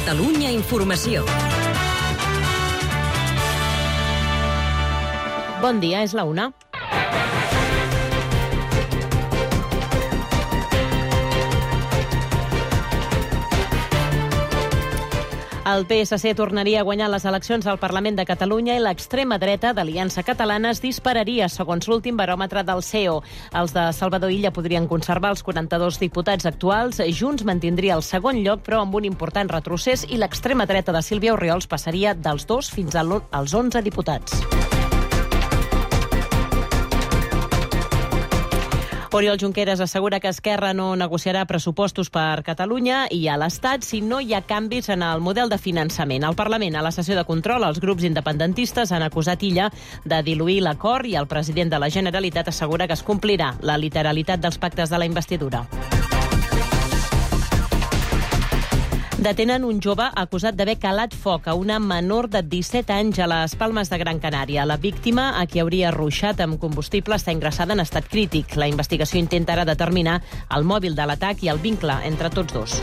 Catalunya Informació. Bon dia, és la 1. El PSC tornaria a guanyar les eleccions al Parlament de Catalunya i l'extrema dreta d'Aliança Catalana es dispararia, segons l'últim baròmetre del CEO. Els de Salvador Illa podrien conservar els 42 diputats actuals, Junts mantindria el segon lloc, però amb un important retrocés, i l'extrema dreta de Sílvia Orriols passaria dels 2 fins als 11 diputats. Oriol Junqueras assegura que Esquerra no negociarà pressupostos per Catalunya i a l'Estat si no hi ha canvis en el model de finançament. Al Parlament, a la sessió de control, els grups independentistes han acusat Illa de diluir l'acord i el president de la Generalitat assegura que es complirà la literalitat dels pactes de la investidura. Detenen un jove acusat d'haver calat foc a una menor de 17 anys a les Palmes de Gran Canària. La víctima, a qui hauria ruixat amb combustible, està ingressada en estat crític. La investigació intenta ara determinar el mòbil de l'atac i el vincle entre tots dos.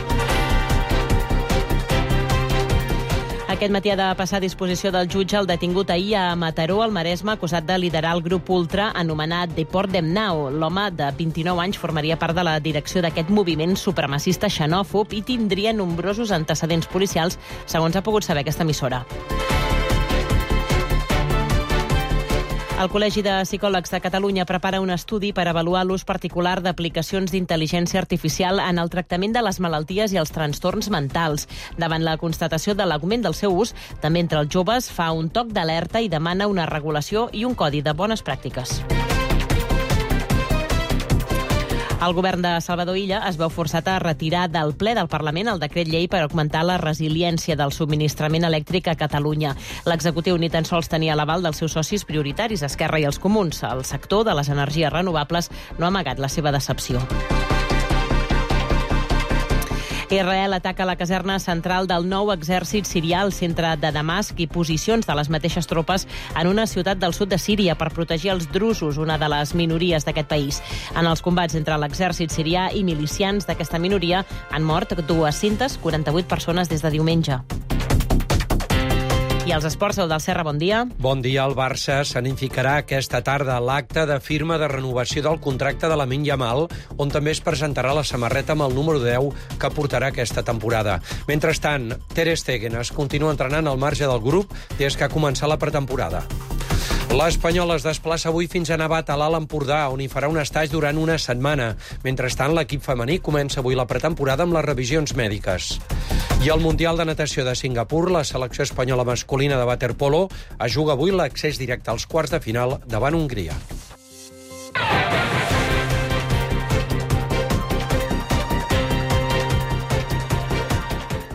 Aquest matí ha de passar a disposició del jutge el detingut ahir a Mataró, al Maresme, acusat de liderar el grup ultra anomenat Deport Dem Now. L'home de 29 anys formaria part de la direcció d'aquest moviment supremacista xenòfob i tindria nombrosos antecedents policials, segons ha pogut saber aquesta emissora. El Col·legi de Psicòlegs de Catalunya prepara un estudi per avaluar l'ús particular d'aplicacions d'intel·ligència artificial en el tractament de les malalties i els trastorns mentals. Davant la constatació de l'augment del seu ús, també entre els joves fa un toc d'alerta i demana una regulació i un codi de bones pràctiques. El govern de Salvador Illa es veu forçat a retirar del ple del Parlament el decret llei per augmentar la resiliència del subministrament elèctric a Catalunya. L'executiu ni tan sols tenia l'aval dels seus socis prioritaris, Esquerra i els Comuns. El sector de les energies renovables no ha amagat la seva decepció. Israel ataca la caserna central del nou exèrcit sirià al centre de Damasc i posicions de les mateixes tropes en una ciutat del sud de Síria per protegir els drusos, una de les minories d'aquest país. En els combats entre l'exèrcit sirià i milicians d'aquesta minoria han mort 248 persones des de diumenge. I els esports, el del Serra, bon dia. Bon dia. El Barça s'anificarà aquesta tarda a l'acte de firma de renovació del contracte de Lamine Yamal, on també es presentarà la samarreta amb el número 10 que portarà aquesta temporada. Mentrestant, Ter Stegen es continua entrenant al marge del grup des que ha començat la pretemporada. L'Espanyol es desplaça avui fins a Navat, a l'Alt Empordà, on hi farà un estatge durant una setmana. Mentrestant, l'equip femení comença avui la pretemporada amb les revisions mèdiques. I al Mundial de Natació de Singapur, la selecció espanyola masculina de waterpolo es juga avui l'accés directe als quarts de final davant Hongria.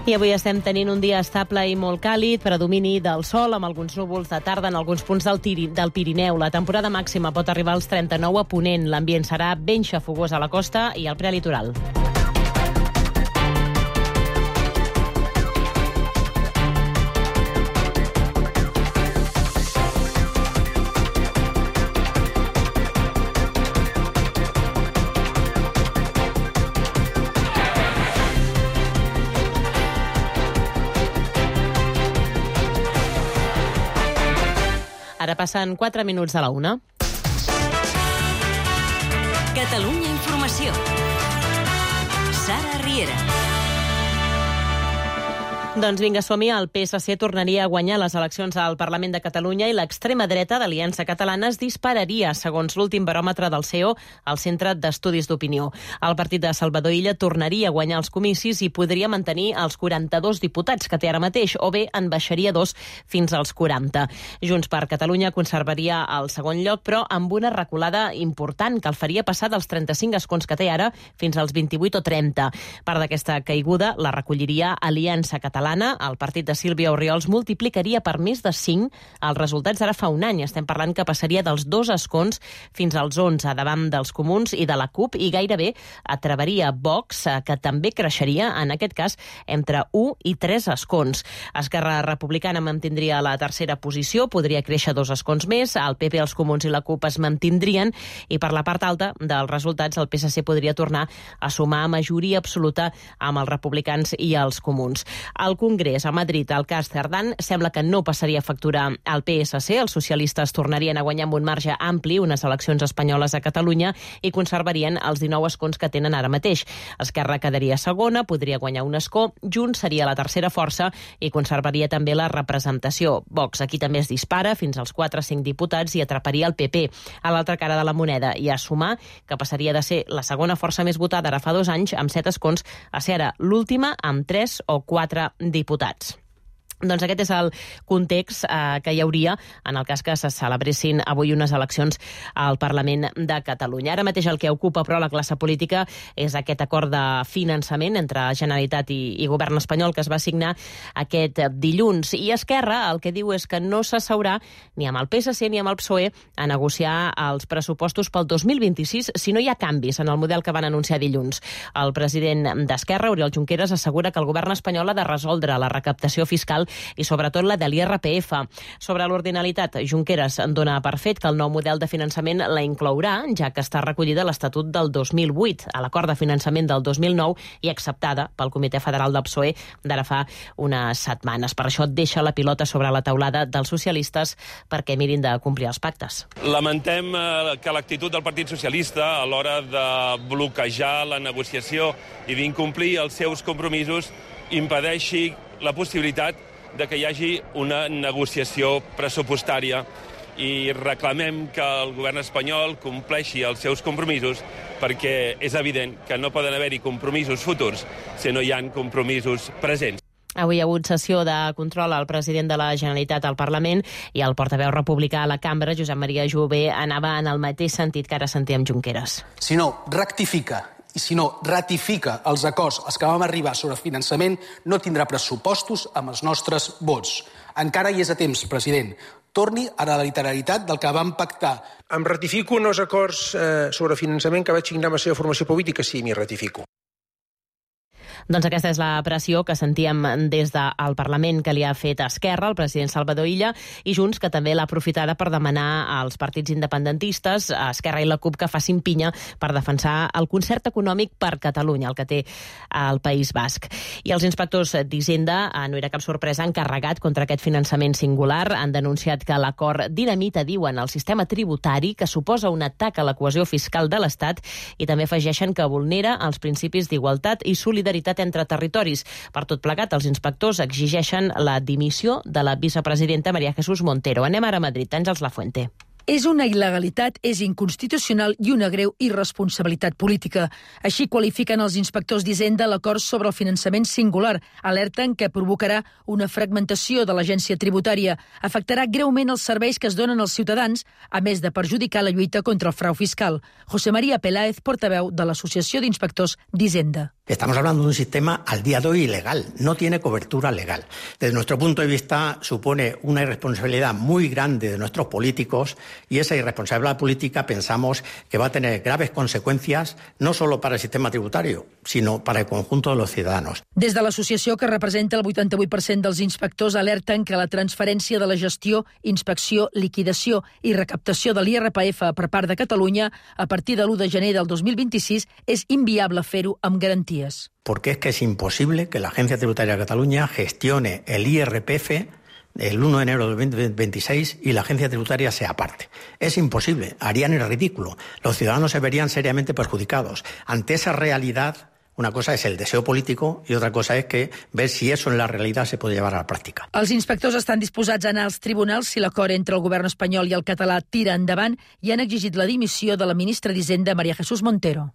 I avui estem tenint un dia estable i molt càlid, predomini del sol, amb alguns núvols de tarda en alguns punts del Pirineu. La temporada màxima pot arribar als 39 a Ponent. L'ambient serà ben xafogós a la costa i al prelitoral. Ara passen 4 minuts de la 1. Catalunya Informació. Sara Riera. Doncs vinga, som-hi. El PSC tornaria a guanyar les eleccions al Parlament de Catalunya i l'extrema dreta d'Aliança Catalana es dispararia, segons l'últim baròmetre del CEO, al Centre d'Estudis d'Opinió. El partit de Salvador Illa tornaria a guanyar els comicis i podria mantenir els 42 diputats que té ara mateix, o bé en baixaria 2 fins als 40. Junts per Catalunya conservaria el segon lloc, però amb una reculada important que el faria passar dels 35 escons que té ara fins als 28 o 30. Part d'aquesta caiguda la recolliria Aliança Catalana. El partit de Sílvia Orriols multiplicaria per més de 5 els resultats d'ara fa un any. Estem parlant que passaria dels 2 escons fins als 11 davant dels Comuns i de la CUP i gairebé atraveria Vox, que també creixeria, en aquest cas, entre 1 i 3 escons. Esquerra Republicana mantindria la tercera posició, podria créixer 2 escons més, el PP, els Comuns i la CUP es mantindrien i per la part alta dels resultats el PSC podria tornar a sumar majoria absoluta amb els republicans i els Comuns. El al Congrés, a Madrid, el cas Cerdán sembla que no passaria factura al PSC. Els socialistes tornarien a guanyar amb un marge ampli unes eleccions espanyoles a Catalunya i conservarien els 19 escons que tenen ara mateix. Esquerra quedaria segona, podria guanyar un escó, Junts seria la tercera força i conservaria també la representació. Vox aquí també es dispara fins als 4-5 diputats i atraparia el PP. A l'altra cara de la moneda i a sumar que passaria de ser la segona força més votada ara fa 2 anys amb 7 escons a ser ara l'última amb 3 o 4 diputats. Doncs aquest és el context que hi hauria en el cas que se celebressin avui unes eleccions al Parlament de Catalunya. Ara mateix el que ocupa, però, la classe política és aquest acord de finançament entre Generalitat i Govern espanyol que es va signar aquest dilluns. I Esquerra el que diu és que no s'asseurà ni amb el PSC ni amb el PSOE a negociar els pressupostos pel 2026 si no hi ha canvis en el model que van anunciar dilluns. El president d'Esquerra, Oriol Junqueras, assegura que el govern espanyol ha de resoldre la recaptació fiscal i sobretot la de l'IRPF. Sobre l'ordinalitat, Junqueras dona per fet que el nou model de finançament la inclourà, ja que està recollida a l'Estatut del 2008, a l'acord de finançament del 2009 i acceptada pel Comitè Federal del PSOE d'ara fa unes setmanes. Per això deixa la pilota sobre la taulada dels socialistes perquè mirin de complir els pactes. Lamentem que l'actitud del Partit Socialista a l'hora de bloquejar la negociació i d'incomplir els seus compromisos impedeixi la possibilitat de que hi hagi una negociació pressupostària i reclamem que el govern espanyol compleixi els seus compromisos perquè és evident que no poden haver-hi compromisos futurs si no hi ha compromisos presents. Avui hi ha hagut sessió de control al president de la Generalitat al Parlament i el portaveu republicà a la cambra, Josep Maria Jové, anava en el mateix sentit que ara sentíem Junqueras. Si no rectifica i si no ratifica els acords als que vam arribar sobre finançament, no tindrà pressupostos amb els nostres vots. Encara hi és a temps, president. Torni a la literalitat del que vam pactar. Em ratifico en els acords sobre finançament que vaig signar amb la seva formació política? Sí, m'hi ratifico. Doncs aquesta és la pressió que sentíem des del Parlament que li ha fet Esquerra, el president Salvador Illa, i Junts, que també l'ha aprofitada per demanar als partits independentistes, a Esquerra i la CUP, que facin pinya per defensar el concert econòmic per Catalunya, el que té el País Basc. I els inspectors d'Hisenda, no era cap sorpresa, han carregat contra aquest finançament singular, han denunciat que l'acord dinamita, diuen, el sistema tributari, que suposa un atac a la cohesió fiscal de l'Estat, i també afegeixen que vulnera els principis d'igualtat i solidaritat entre territoris. Per tot plegat, els inspectors exigeixen la dimissió de la vicepresidenta María Jesús Montero. Anem ara a Madrid. Àngels Lafuente. És una il·legalitat, és inconstitucional i una greu irresponsabilitat política. Així qualifiquen els inspectors d'Hisenda l'acord sobre el finançament singular. Alerten que provocarà una fragmentació de l'agència tributària. Afectarà greument els serveis que es donen als ciutadans, a més de perjudicar la lluita contra el frau fiscal. José María Peláez, portaveu de l'Associació d'Inspectors d'Hisenda. Estamos hablando de un sistema al día de hoy ilegal, no tiene cobertura legal. Desde nuestro punto de vista supone una irresponsabilidad muy grande de nuestros políticos y esa irresponsabilidad política pensamos que va a tener graves consecuencias no solo para el sistema tributario, sino para el conjunto de los ciudadanos. Des de l'associació, que representa el 88% dels inspectors, alerten que la transferència de la gestió, inspecció, liquidació i recaptació de l'IRPF per part de Catalunya a partir de l'1 de gener del 2026 és inviable fer-ho amb garanties. Porque es que es imposible que la Agencia Tributaria de Cataluña gestione el IRPF el 1 de enero del 2026 y la agencia tributaria sea aparte. Es imposible, harían el ridículo. Los ciudadanos se verían seriamente perjudicados. Ante esa realidad, una cosa es el deseo político y otra cosa es que ver si eso en la realidad se puede llevar a la práctica. Els inspectors estan disposats a anar als tribunals si l'acord entre el govern espanyol i el català tira endavant i han exigit la dimissió de la ministra d'Hisenda, María Jesús Montero.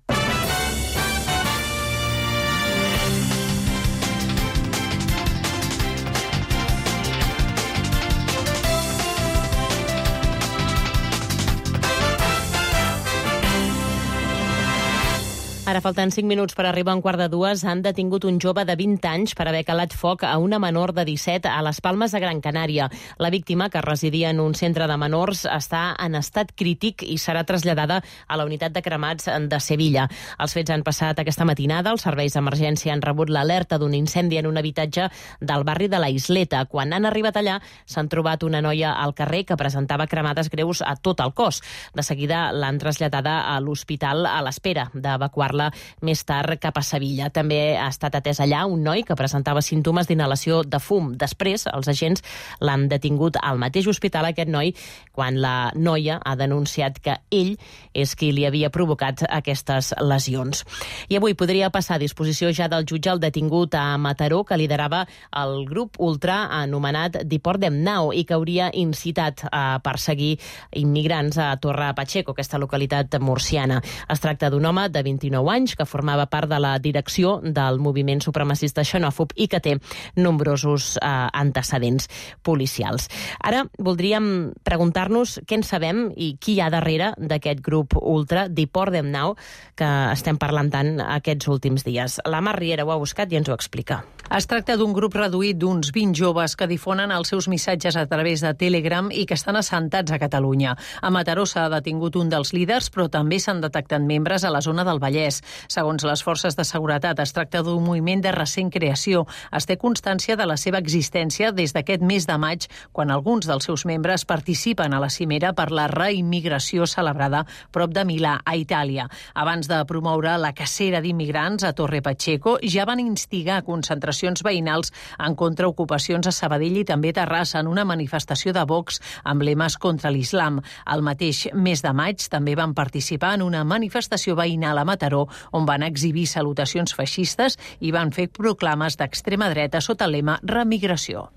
Ara falten 5 minuts per arribar a un quart de 2. Han detingut un jove de 20 anys per haver calat foc a una menor de 17 a les Palmes de Gran Canària. La víctima, que residia en un centre de menors, està en estat crític i serà traslladada a la unitat de cremats de Sevilla. Els fets han passat aquesta matinada. Els serveis d'emergència han rebut l'alerta d'un incendi en un habitatge del barri de la Isleta. Quan han arribat allà, s'han trobat una noia al carrer que presentava cremades greus a tot el cos. De seguida l'han traslladada a l'hospital a l'espera d'evacuar-la trasladar-la més tard cap a Sevilla. També ha estat atès allà un noi que presentava símptomes d'inhalació de fum. Després, els agents l'han detingut al mateix hospital, aquest noi, quan la noia ha denunciat que ell és qui li havia provocat aquestes lesions. I avui podria passar a disposició ja del jutge el detingut a Mataró, que liderava el grup ultra anomenat Deportem Now i que hauria incitat a perseguir immigrants a Torre Pacheco, aquesta localitat murciana. Es tracta d'un home de 29 anys que formava part de la direcció del moviment supremacista xenòfob i que té nombrosos antecedents policials. Ara voldríem preguntar-nos què en sabem i qui hi ha darrere d'aquest grup ultra, Deportem Now, que estem parlant tant aquests últims dies. La Mar Riera ho ha buscat i ens ho explica. Es tracta d'un grup reduït d'uns 20 joves que difonen els seus missatges a través de Telegram i que estan assentats a Catalunya. A Mataró s'ha detingut un dels líders, però també s'han detectat membres a la zona del Vallès. Segons les forces de seguretat, es tracta d'un moviment de recent creació. Es té constància de la seva existència des d'aquest mes de maig, quan alguns dels seus membres participen a la cimera per la reimmigració celebrada prop de Milà, a Itàlia. Abans de promoure la cacera d'immigrants a Torre Pacheco, ja van instigar concentracions veïnals en contraocupacions a Sabadell i també Terrassa en una manifestació de Vox amb lemes contra l'islam. El mateix mes de maig també van participar en una manifestació veïnal a Mataró on van exhibir salutacions feixistes i van fer proclames d'extrema dreta sota el lema Remigració.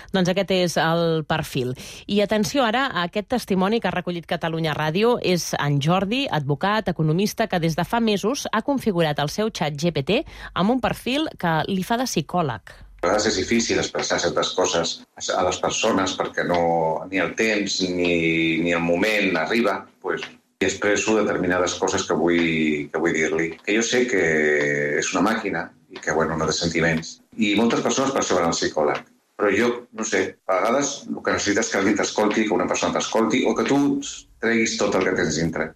Doncs aquest és el perfil. I atenció ara a aquest testimoni que ha recollit Catalunya Ràdio. És en Jordi, advocat, economista, que des de fa mesos ha configurat el seu xat GPT amb un perfil que li fa de psicòleg. A vegades és difícil expressar certes coses a les persones perquè ni el temps ni el moment arriba, i expresso determinades coses que vull dir-li. Que jo sé que és una màquina i que no té sentiments. I moltes persones per això van al psicòleg. Però jo, no sé, a vegades el que necessites que algú t'escolti, que una persona t'escolti, o que tu treguis tot el que tens dintre.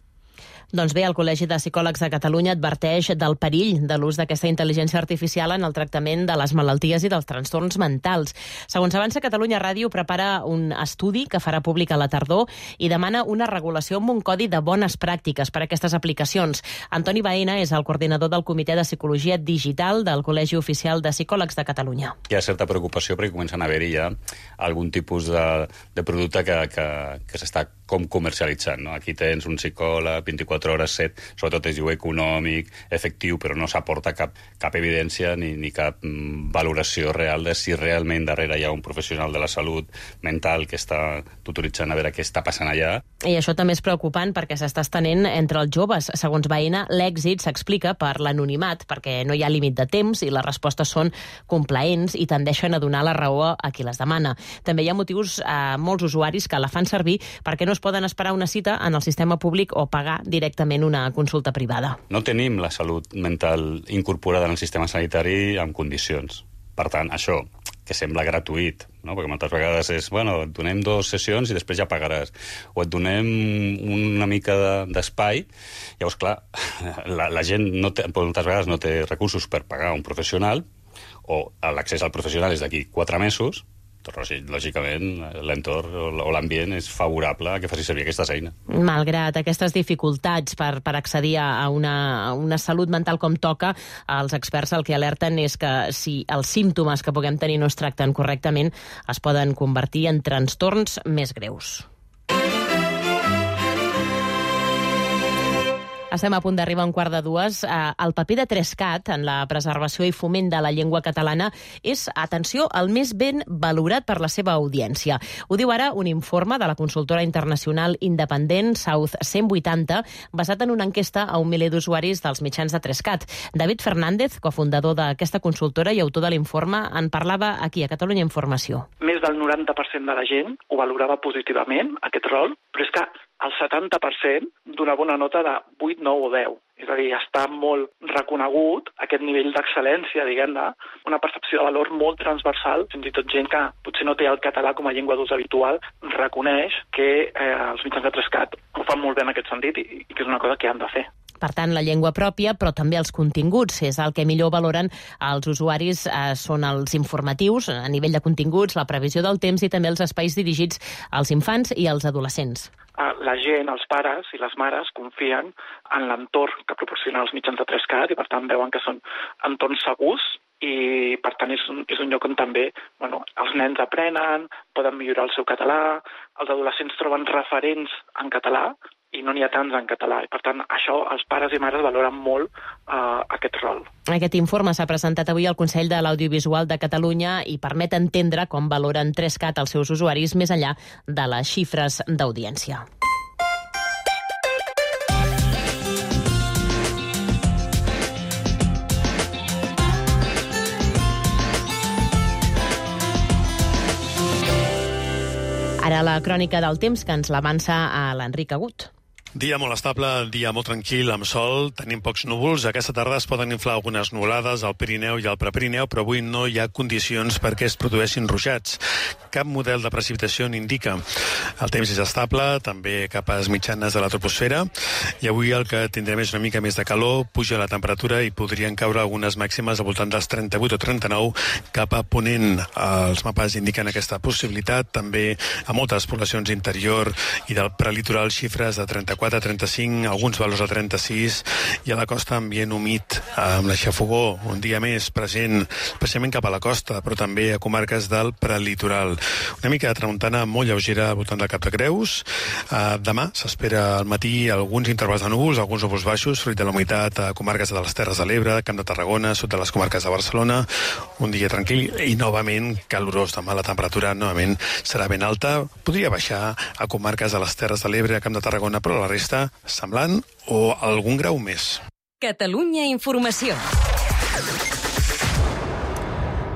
Doncs bé, el Col·legi de Psicòlegs de Catalunya adverteix del perill de l'ús d'aquesta intel·ligència artificial en el tractament de les malalties i dels trastorns mentals. Segons avança Catalunya Ràdio, prepara un estudi que farà públic a la tardor i demana una regulació amb un codi de bones pràctiques per a aquestes aplicacions. Antoni Baena és el coordinador del Comitè de Psicologia Digital del Col·legi Oficial de Psicòlegs de Catalunya. Hi ha certa preocupació perquè comencen a haver-hi ja algun tipus de producte que s'està com comercialitzant, no? Aquí tens un psicòleg 24 hores 7, sobretot es diu econòmic, efectiu, però no s'aporta cap evidència ni cap valoració real de si realment darrere hi ha un professional de la salut mental que està tutoritzant a veure què està passant allà. I això també és preocupant perquè s'està estenent entre els joves. Segons Baena, l'èxit s'explica per l'anonimat, perquè no hi ha límit de temps i les respostes són complaents i tendeixen a donar la raó a qui les demana. També hi ha motius a molts usuaris que la fan servir perquè no es poden esperar una cita en el sistema públic o pagar directament una consulta privada. No tenim la salut mental incorporada en el sistema sanitari en condicions. Per tant, això, que sembla gratuït, no? Perquè moltes vegades és, et donem 2 sessions i després ja pagaràs. O et donem una mica d'espai. Llavors, clar, la gent moltes vegades no té recursos per pagar un professional, o l'accés al professional és d'aquí 4 mesos, lògicament l'entorn o l'ambient és favorable a que faci servir aquestes eines. Malgrat aquestes dificultats per accedir a una salut mental com toca, els experts el que alerten és que si els símptomes que puguem tenir no es tracten correctament, es poden convertir en trastorns més greus. Estem a punt d'arribar a 1:45. El paper de 3CAT en la preservació i foment de la llengua catalana és, atenció, el més ben valorat per la seva audiència. Ho diu ara un informe de la consultora internacional independent South 180, basat en una enquesta a 1 miler d'usuaris dels mitjans de 3CAT. David Fernández, cofundador d'aquesta consultora i autor de l'informe, en parlava aquí, a Catalunya Informació. Més del 90% de la gent ho valorava positivament, aquest rol, però és que el 70% donava una nota de 8, 9 o 10. És a dir, està molt reconegut aquest nivell d'excel·lència, diguem-ne, una percepció de valor molt transversal, fins i tot gent que potser no té el català com a llengua d'ús habitual, reconeix que els mitjans de 3CAT ho fan molt bé en aquest sentit i que és una cosa que han de fer. Per tant, la llengua pròpia, però també els continguts. És el que millor valoren els usuaris, són els informatius, a nivell de continguts, la previsió del temps i també els espais dirigits als infants i als adolescents. La gent, els pares i les mares confien en l'entorn que proporcionen els mitjans de 3CAT i per tant veuen que són entorns segurs i per tant és un lloc on també els nens aprenen, poden millorar el seu català, els adolescents troben referents en català i no n'hi ha tants en català. I per tant, això els pares i mares valoren molt aquest rol. Aquest informe s'ha presentat avui al Consell de l'Audiovisual de Catalunya i permet entendre com valoren 3CAT els seus usuaris més enllà de les xifres d'audiència. Ara la crònica del temps que ens l'avança a l'Enric Agut. Dia molt estable, dia molt tranquil, amb sol, tenim pocs núvols. Aquesta tarda es poden inflar algunes nuvolades al Pirineu i al Prepirineu, però avui no hi ha condicions perquè es produeixin ruixats. Cap model de precipitació n'indica. El temps és estable, també capes mitjanes de la troposfera, i avui el que tindrem és una mica més de calor, puja la temperatura i podrien caure algunes màximes al voltant dels 38 o 39 cap a ponent. Els mapes indiquen aquesta possibilitat, també a moltes poblacions interior i del prelitoral xifres de 34 a 35, alguns valors a 36, i a la costa ambient humit amb la xafogó, un dia més present, especialment cap a la costa, però també a comarques del prelitoral. Una mica de tramuntana molt lleugera al voltant del Cap de Creus. Demà s'espera al matí alguns intervals de núvols, alguns núvols baixos, fruit de la humitat a comarques de les Terres de l'Ebre, Camp de Tarragona, sud de les comarques de Barcelona. Un dia tranquil i novament calorós. Demà la temperatura novament serà ben alta. Podria baixar a comarques de les Terres de l'Ebre, a Camp de Tarragona, però la resta semblant o algun grau més. Catalunya Informació.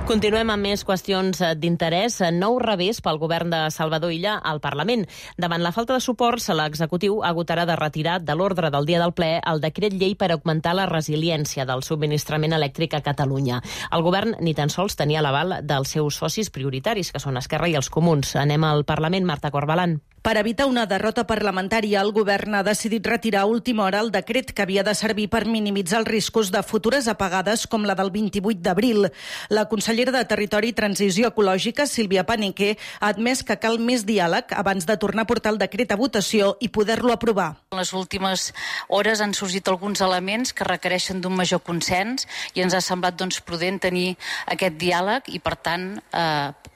Continuem amb més qüestions d'interès. Nou revés pel govern de Salvador Illa al Parlament. Davant la falta de suports, l'executiu agotarà de retirar de l'ordre del dia del ple el decret llei per augmentar la resiliència del subministrament elèctric a Catalunya. El govern ni tan sols tenia l'aval dels seus socis prioritaris, que són Esquerra i els Comuns. Anem al Parlament, Marta Corbalan. Per evitar una derrota parlamentària, el govern ha decidit retirar a última hora el decret que havia de servir per minimitzar els riscos de futures apagades com la del 28 d'abril. La consellera de Territori i Transició Ecològica, Sílvia Paneque, ha admès que cal més diàleg abans de tornar a portar el decret a votació i poder-lo aprovar. En les últimes hores han sorgit alguns elements que requereixen d'un major consens i ens ha semblat prudent tenir aquest diàleg i, per tant,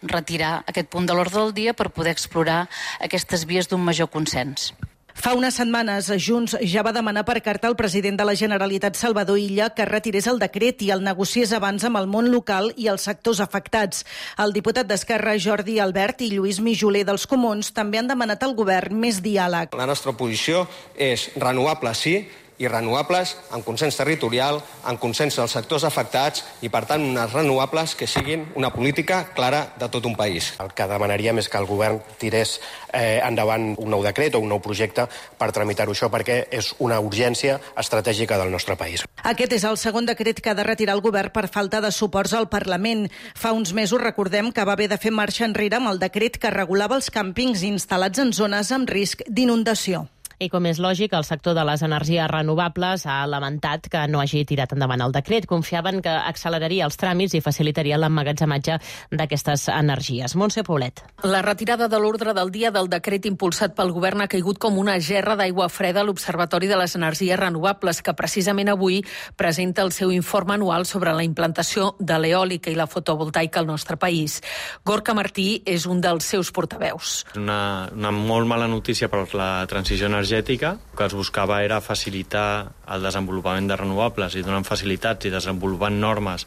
retirar aquest punt de l'ordre del dia per poder explorar aquestes vies d'un major consens. Fa unes setmanes, Junts ja va demanar per carta al president de la Generalitat, Salvador Illa, que retirés el decret i el negociés abans amb el món local i els sectors afectats. El diputat d'Esquerra, Jordi Albert, i Lluís Mijoler dels Comuns també han demanat al govern més diàleg. La nostra posició és renovables sí, i renovables amb consens territorial, amb consens dels sectors afectats i, per tant, unes renovables que siguin una política clara de tot un país. El que demanaríem és que el govern tirés endavant un nou decret o un nou projecte per tramitar-ho això, perquè és una urgència estratègica del nostre país. Aquest és el segon decret que ha de retirar el govern per falta de suports al Parlament. Fa uns mesos recordem que va haver de fer marxa enrere amb el decret que regulava els càmpings instal·lats en zones amb risc d'inundació. I com és lògic, el sector de les energies renovables ha lamentat que no hagi tirat endavant el decret. Confiaven que acceleraria els tràmits i facilitaria l'emmagatzematge d'aquestes energies. Montse Paulet. La retirada de l'ordre del dia del decret impulsat pel govern ha caigut com una gerra d'aigua freda a l'Observatori de les Energies Renovables, que precisament avui presenta el seu informe anual sobre la implantació de l'eòlica i la fotovoltaica al nostre país. Gorka Martí és un dels seus portaveus. Una molt mala notícia per la transició energètica. Que es buscava era facilitar el desenvolupament de renovables i donant facilitats i desenvolupant normes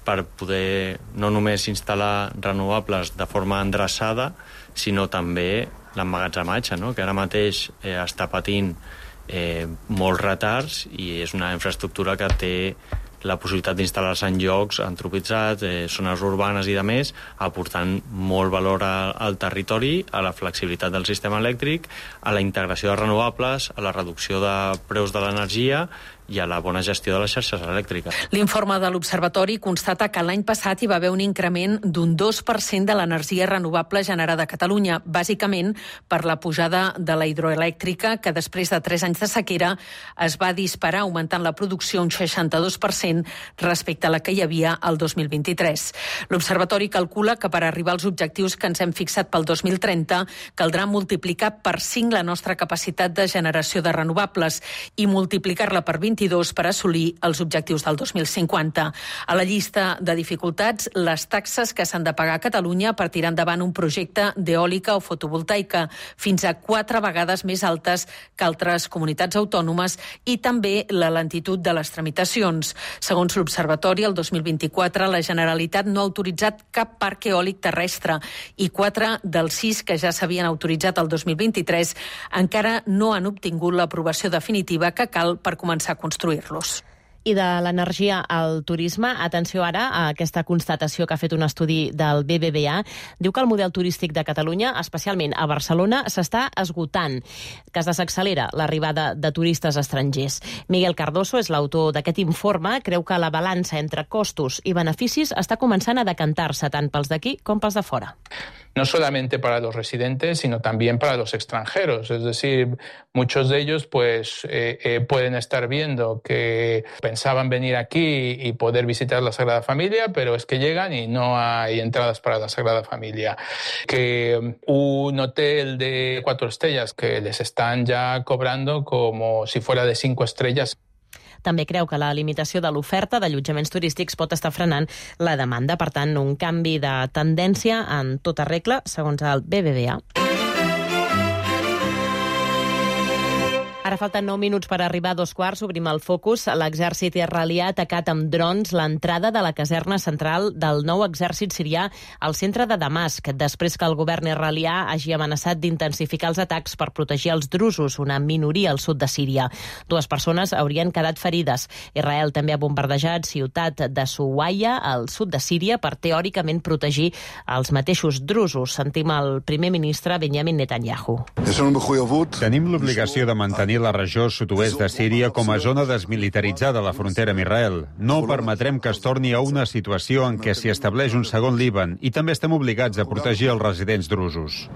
per poder no només instal·lar renovables de forma endreçada, sinó també l'emmagatzematge, no? Que ara mateix està patint molts retards i és una infraestructura que té la possibilitat d'instal·lar-se en llocs antropitzats, zones urbanes i de més, aportant molt valor al territori, a la flexibilitat del sistema elèctric, a la integració de renovables, a la reducció de preus de l'energia i a la bona gestió de les xarxes elèctriques. L'informe de l'Observatori constata que l'any passat hi va haver un increment d'un 2% de l'energia renovable generada a Catalunya, bàsicament per la pujada de la hidroelèctrica, que després de 3 anys de sequera es va disparar, augmentant la producció un 62% respecte a la que hi havia el 2023. L'Observatori calcula que per arribar als objectius que ens hem fixat pel 2030 caldrà multiplicar per 5 la nostra capacitat de generació de renovables i multiplicar-la per 22 per assolir els objectius del 2050. A la llista de dificultats, les taxes que s'han de pagar a Catalunya per tirar endavant un projecte d'eòlica o fotovoltaica, fins a 4 vegades més altes que altres comunitats autònomes, i també la lentitud de les tramitacions. Segons l'Observatori, el 2024 la Generalitat no ha autoritzat cap parc eòlic terrestre i 4 dels 6 que ja s'havien autoritzat el 2023 encara no han obtingut l'aprovació definitiva que cal per començar a construir-los. I de l'energia al turisme, atenció ara a aquesta constatació que ha fet un estudi del BBVA. Diu que el model turístic de Catalunya, especialment a Barcelona, s'està esgotant, que es desaccelera l'arribada de turistes estrangers. Miguel Cardoso és l'autor d'aquest informe, creu que la balança entre costos i beneficis està començant a decantar-se tant pels d'aquí com pels de fora. No solamente para los residentes, sino también para los extranjeros. Es decir, muchos de ellos pueden estar viendo que pensaban venir aquí y poder visitar la Sagrada Familia, pero es que llegan y no hay entradas para la Sagrada Familia. Que un hotel de 4 estrellas que les están ya cobrando como si fuera de 5 estrellas. També creu que la limitació de l'oferta d'allotjaments turístics pot estar frenant la demanda. Per tant, un canvi de tendència en tota regla, segons el BBVA. Ara falten 9 minuts per arribar a 2:15. Obrim el focus. L'exèrcit israelià ha atacat amb drons l'entrada de la caserna central del nou exèrcit sirià al centre de Damasc, després que el govern israelià hagi amenaçat d'intensificar els atacs per protegir els drusos, una minoria al sud de Síria. 2 persones haurien quedat ferides. Israel també ha bombardejat ciutat de Suwaia, al sud de Síria, per teòricament protegir els mateixos drusos. Sentim el primer ministre Benjamin Netanyahu. Tenim l'obligació de mantenir la regió sud-oest de Síria com a zona desmilitaritzada a la frontera amb Israel. No permetrem que es torni a una situació en què s'hi estableix un segon Líban i també estem obligats a protegir els residents drusos.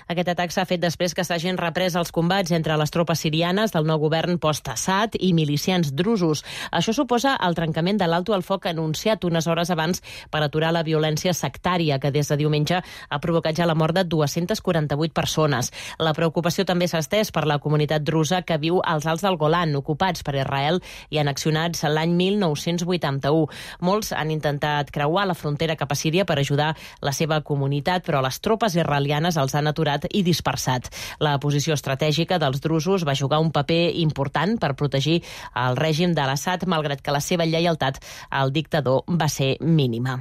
Aquest atac s'ha fet després que s'hagin reprès els combats entre les tropes sirianes del nou govern post-Assad i milicians drusos. Això suposa el trencament de l'alto al foc anunciat unes hores abans per aturar la violència sectària que des de diumenge ha provocat ja la mort de 248 persones. La preocupació també s'ha estès per la comunitat drusa que viu als Alts del Golan, ocupats per Israel i annexionats l'any 1981. Molts han intentat creuar la frontera cap a Síria per ajudar la seva comunitat, però les tropes israelianes els han aturat i dispersat. La posició estratègica dels drusos va jugar un paper important per protegir el règim de l'Assad, malgrat que la seva lleialtat al dictador va ser mínima.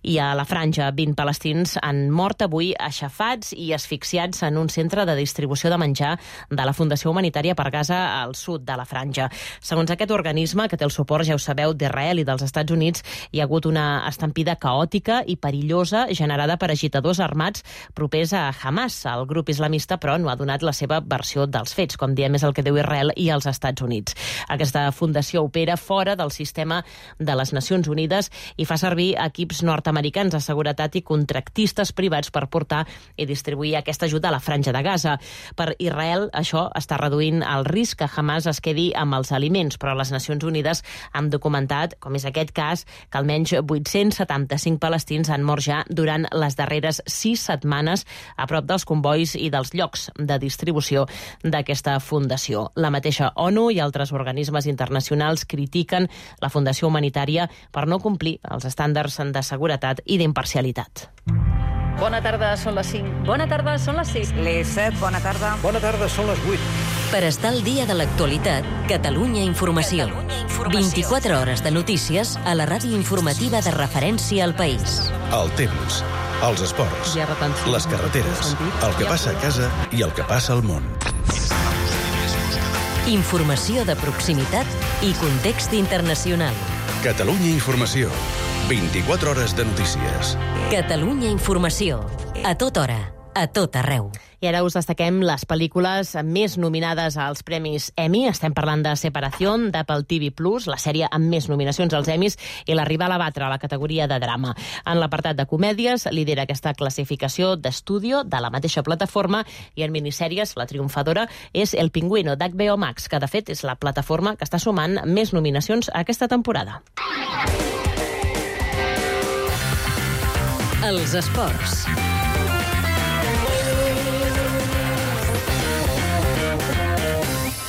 I a la Franja, 20 palestins han mort avui aixafats i asfixiats en un centre de distribució de menjar de la Fundació Humanitària per Gaza al sud de la Franja. Segons aquest organisme, que té el suport, ja ho sabeu, d'Israel i dels Estats Units, hi ha hagut una estampida caòtica i perillosa generada per agitadors armats propers a Hamas. El grup islamista, però, no ha donat la seva versió dels fets. Com diem, és el que diu Israel i els Estats Units. Aquesta fundació opera fora del sistema de les Nacions Unides i fa servir equips nord-americans de seguretat i contractistes privats per portar i distribuir aquesta ajuda a la Franja de Gaza. Per Israel, això està reduint el risc que Hamas es quedi amb els aliments, però les Nacions Unides han documentat, com és aquest cas, que almenys 875 palestins han mort ja durant les darreres 6 setmanes a prop dels convois i dels llocs de distribució d'aquesta fundació. La mateixa ONU i altres organismes internacionals critiquen la Fundació Humanitària per no complir els estàndards de seguretat i d'imparcialitat. Bona tarda, són les 5. Bona tarda, són les 6. Les 7, bona tarda. Bona tarda, són les 8. Per estar al dia de l'actualitat, Catalunya Informació. 24 hores de notícies a la ràdio informativa de referència al país. El temps, els esports, les carreteres, el que passa a casa i el que passa al món. Informació de proximitat i context internacional. Catalunya Informació. 24 hores de notícies. Catalunya Informació. A tota hora. a tot arreu. I ara us destaquem les pel·lícules més nominades als Premis Emmy. Estem parlant de Separación, d'Apple TV+, la sèrie amb més nominacions als Emmys, i La rival a batre, a la categoria de drama. En l'apartat de comèdies, lidera aquesta classificació d'estudio de la mateixa plataforma, i en minissèries, la triomfadora és El Pingüino, d'HBO Max, que de fet és la plataforma que està sumant més nominacions aquesta temporada. Els esports.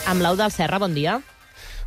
Amb l'Eudald Serra, bon dia.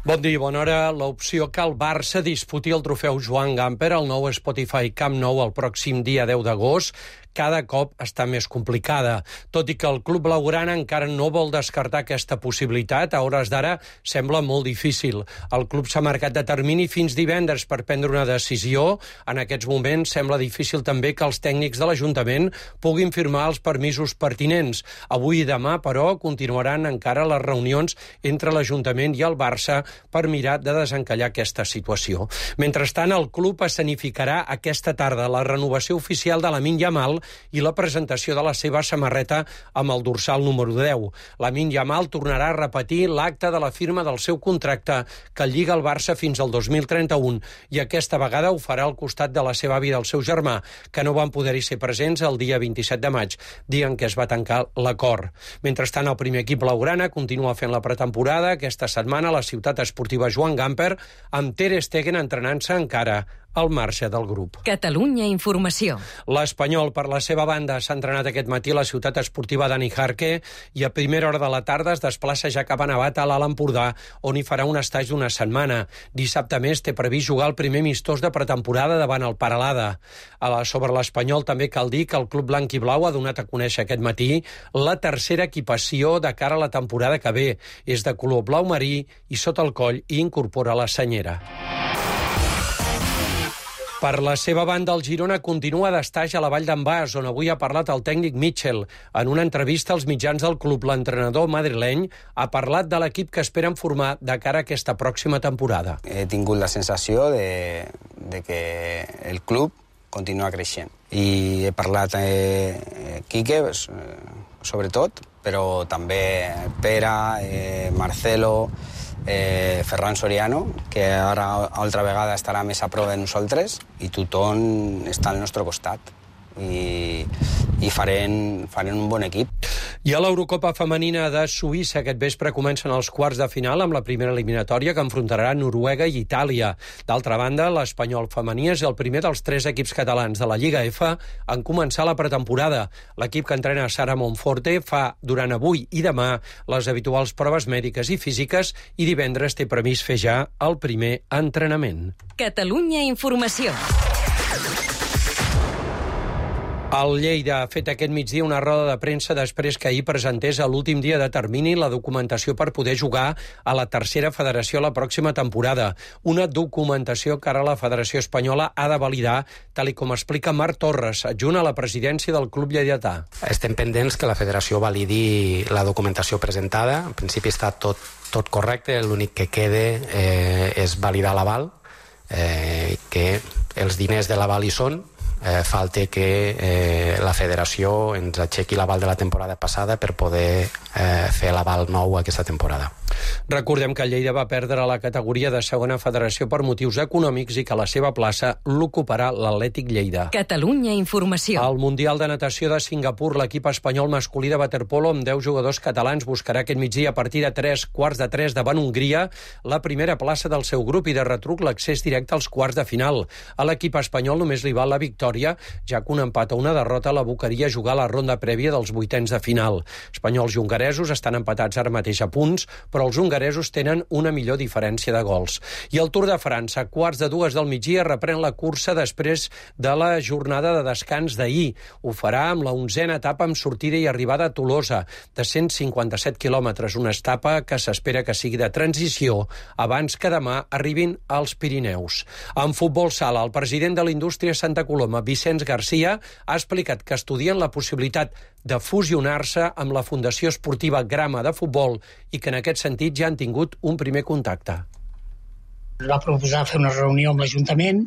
Bon dia i bona hora. L'opció que el Barça disputi el trofeu Joan Gamper al nou Spotify Camp Nou el pròxim dia 10 d'agost cada cop està més complicada. Tot i que el club blaugrana encara no vol descartar aquesta possibilitat, a hores d'ara sembla molt difícil. El club s'ha marcat de termini fins divendres per prendre una decisió. En aquests moments sembla difícil també que els tècnics de l'Ajuntament puguin firmar els permisos pertinents. Avui i demà, però, continuaran encara les reunions entre l'Ajuntament i el Barça per mirar de desencallar aquesta situació. Mentrestant, el club escenificarà aquesta tarda la renovació oficial de Lamine Yamal i la presentació de la seva samarreta amb el dorsal número 10. Lamine Yamal tornarà a repetir l'acte de la firma del seu contracte que lliga el Barça fins al 2031 i aquesta vegada ho farà al costat de la seva àvia i del seu germà, que no van poder-hi ser presents el dia 27 de maig, dia en què es va tancar l'acord. Mentrestant, el primer equip blaugrana continua fent la pretemporada. Aquesta setmana la ciutat esportiva Joan Gamper, amb Ter Stegen entrenant-se encara al marge del grup. Catalunya Informació. L'Espanyol, per la seva banda, s'ha entrenat aquest matí a la ciutat esportiva Dani Jarque i a primera hora de la tarda es desplaça ja cap a Navata, a l'Alt Empordà, on hi farà un estatge d'una setmana. Dissabte més té previst jugar el primer amistós de pretemporada davant el Paralada. Sobre l'Espanyol també cal dir que el club blanc i blau ha donat a conèixer aquest matí la tercera equipació de cara a la temporada que ve. És de color blau marí i sota el coll hi incorpora la senyera. Per la seva banda, el Girona continua d'estaix a la Vall d'en Bas, on avui ha parlat el tècnic Mitchell. En una entrevista als mitjans del club, l'entrenador madrileny ha parlat de l'equip que esperen formar de cara a aquesta pròxima temporada. He tingut la sensació de que el club continua creixent. I he parlat Quique, sobretot, però també Pere, Marcelo, Ferran Soriano, que ara altra vegada estarà més a prop de nosaltres, i tothom està al nostre costat i farem un bon equip. I a l'Eurocopa femenina de Suïssa aquest vespre comencen els quarts de final amb la primera eliminatòria que enfrontarà Noruega i Itàlia. D'altra banda, l'Espanyol femení és el primer dels 3 equips catalans de la Lliga F en començar la pretemporada. L'equip que entrena Sara Monforte fa durant avui i demà les habituals proves mèdiques i físiques i divendres té previst fer ja el primer entrenament. Catalunya Informació. El Lleida ha fet aquest migdia una roda de premsa després que ahir presentés a l'últim dia de termini la documentació per poder jugar a la tercera federació la pròxima temporada. Una documentació que ara la Federació Espanyola ha de validar, tal com explica Marc Torres, adjunt a la presidència del club lleidatà. Estem pendents que la federació validi la documentació presentada. En principi està tot correcte, l'únic que queda és validar l'aval, que els diners de l'aval hi són. Falta que la federació ens aixequi l'aval de la temporada passada per poder fer l'aval nou aquesta temporada. Recordem que Lleida va perdre la categoria de segona federació per motius econòmics i que la seva plaça l'ocuparà l'Atlètic Lleida. Catalunya Informació. Al Mundial de Natació de Singapur, l'equip espanyol masculí de waterpolo amb 10 jugadors catalans buscarà aquest migdia a partir de 3:15 davant Hongria la primera plaça del seu grup i de retruc l'accés directe als quarts de final. A l'equip espanyol només li val la victòria, ja que un empat o una derrota l'abocaria a jugar a la ronda prèvia dels vuitens de final. Espanyols i hongaresos estan empatats ara mateix a punts, però els hongaresos tenen una millor diferència de gols. I el Tour de França, a 2:15 del migdia, reprèn la cursa després de la jornada de descans d'ahir. Ho farà amb la 11a etapa amb sortida i arribada a Tolosa, de 157 quilòmetres, una etapa que s'espera que sigui de transició abans que demà arribin als Pirineus. En futbol sala, el president de l'Indústria Santa Coloma, Vicenç Garcia, ha explicat que estudien la possibilitat de fusionar-se amb la Fundació Esportiva Grama de Futbol i que en aquest sentit ja han tingut un primer contacte. Va proposar fer una reunió amb l'Ajuntament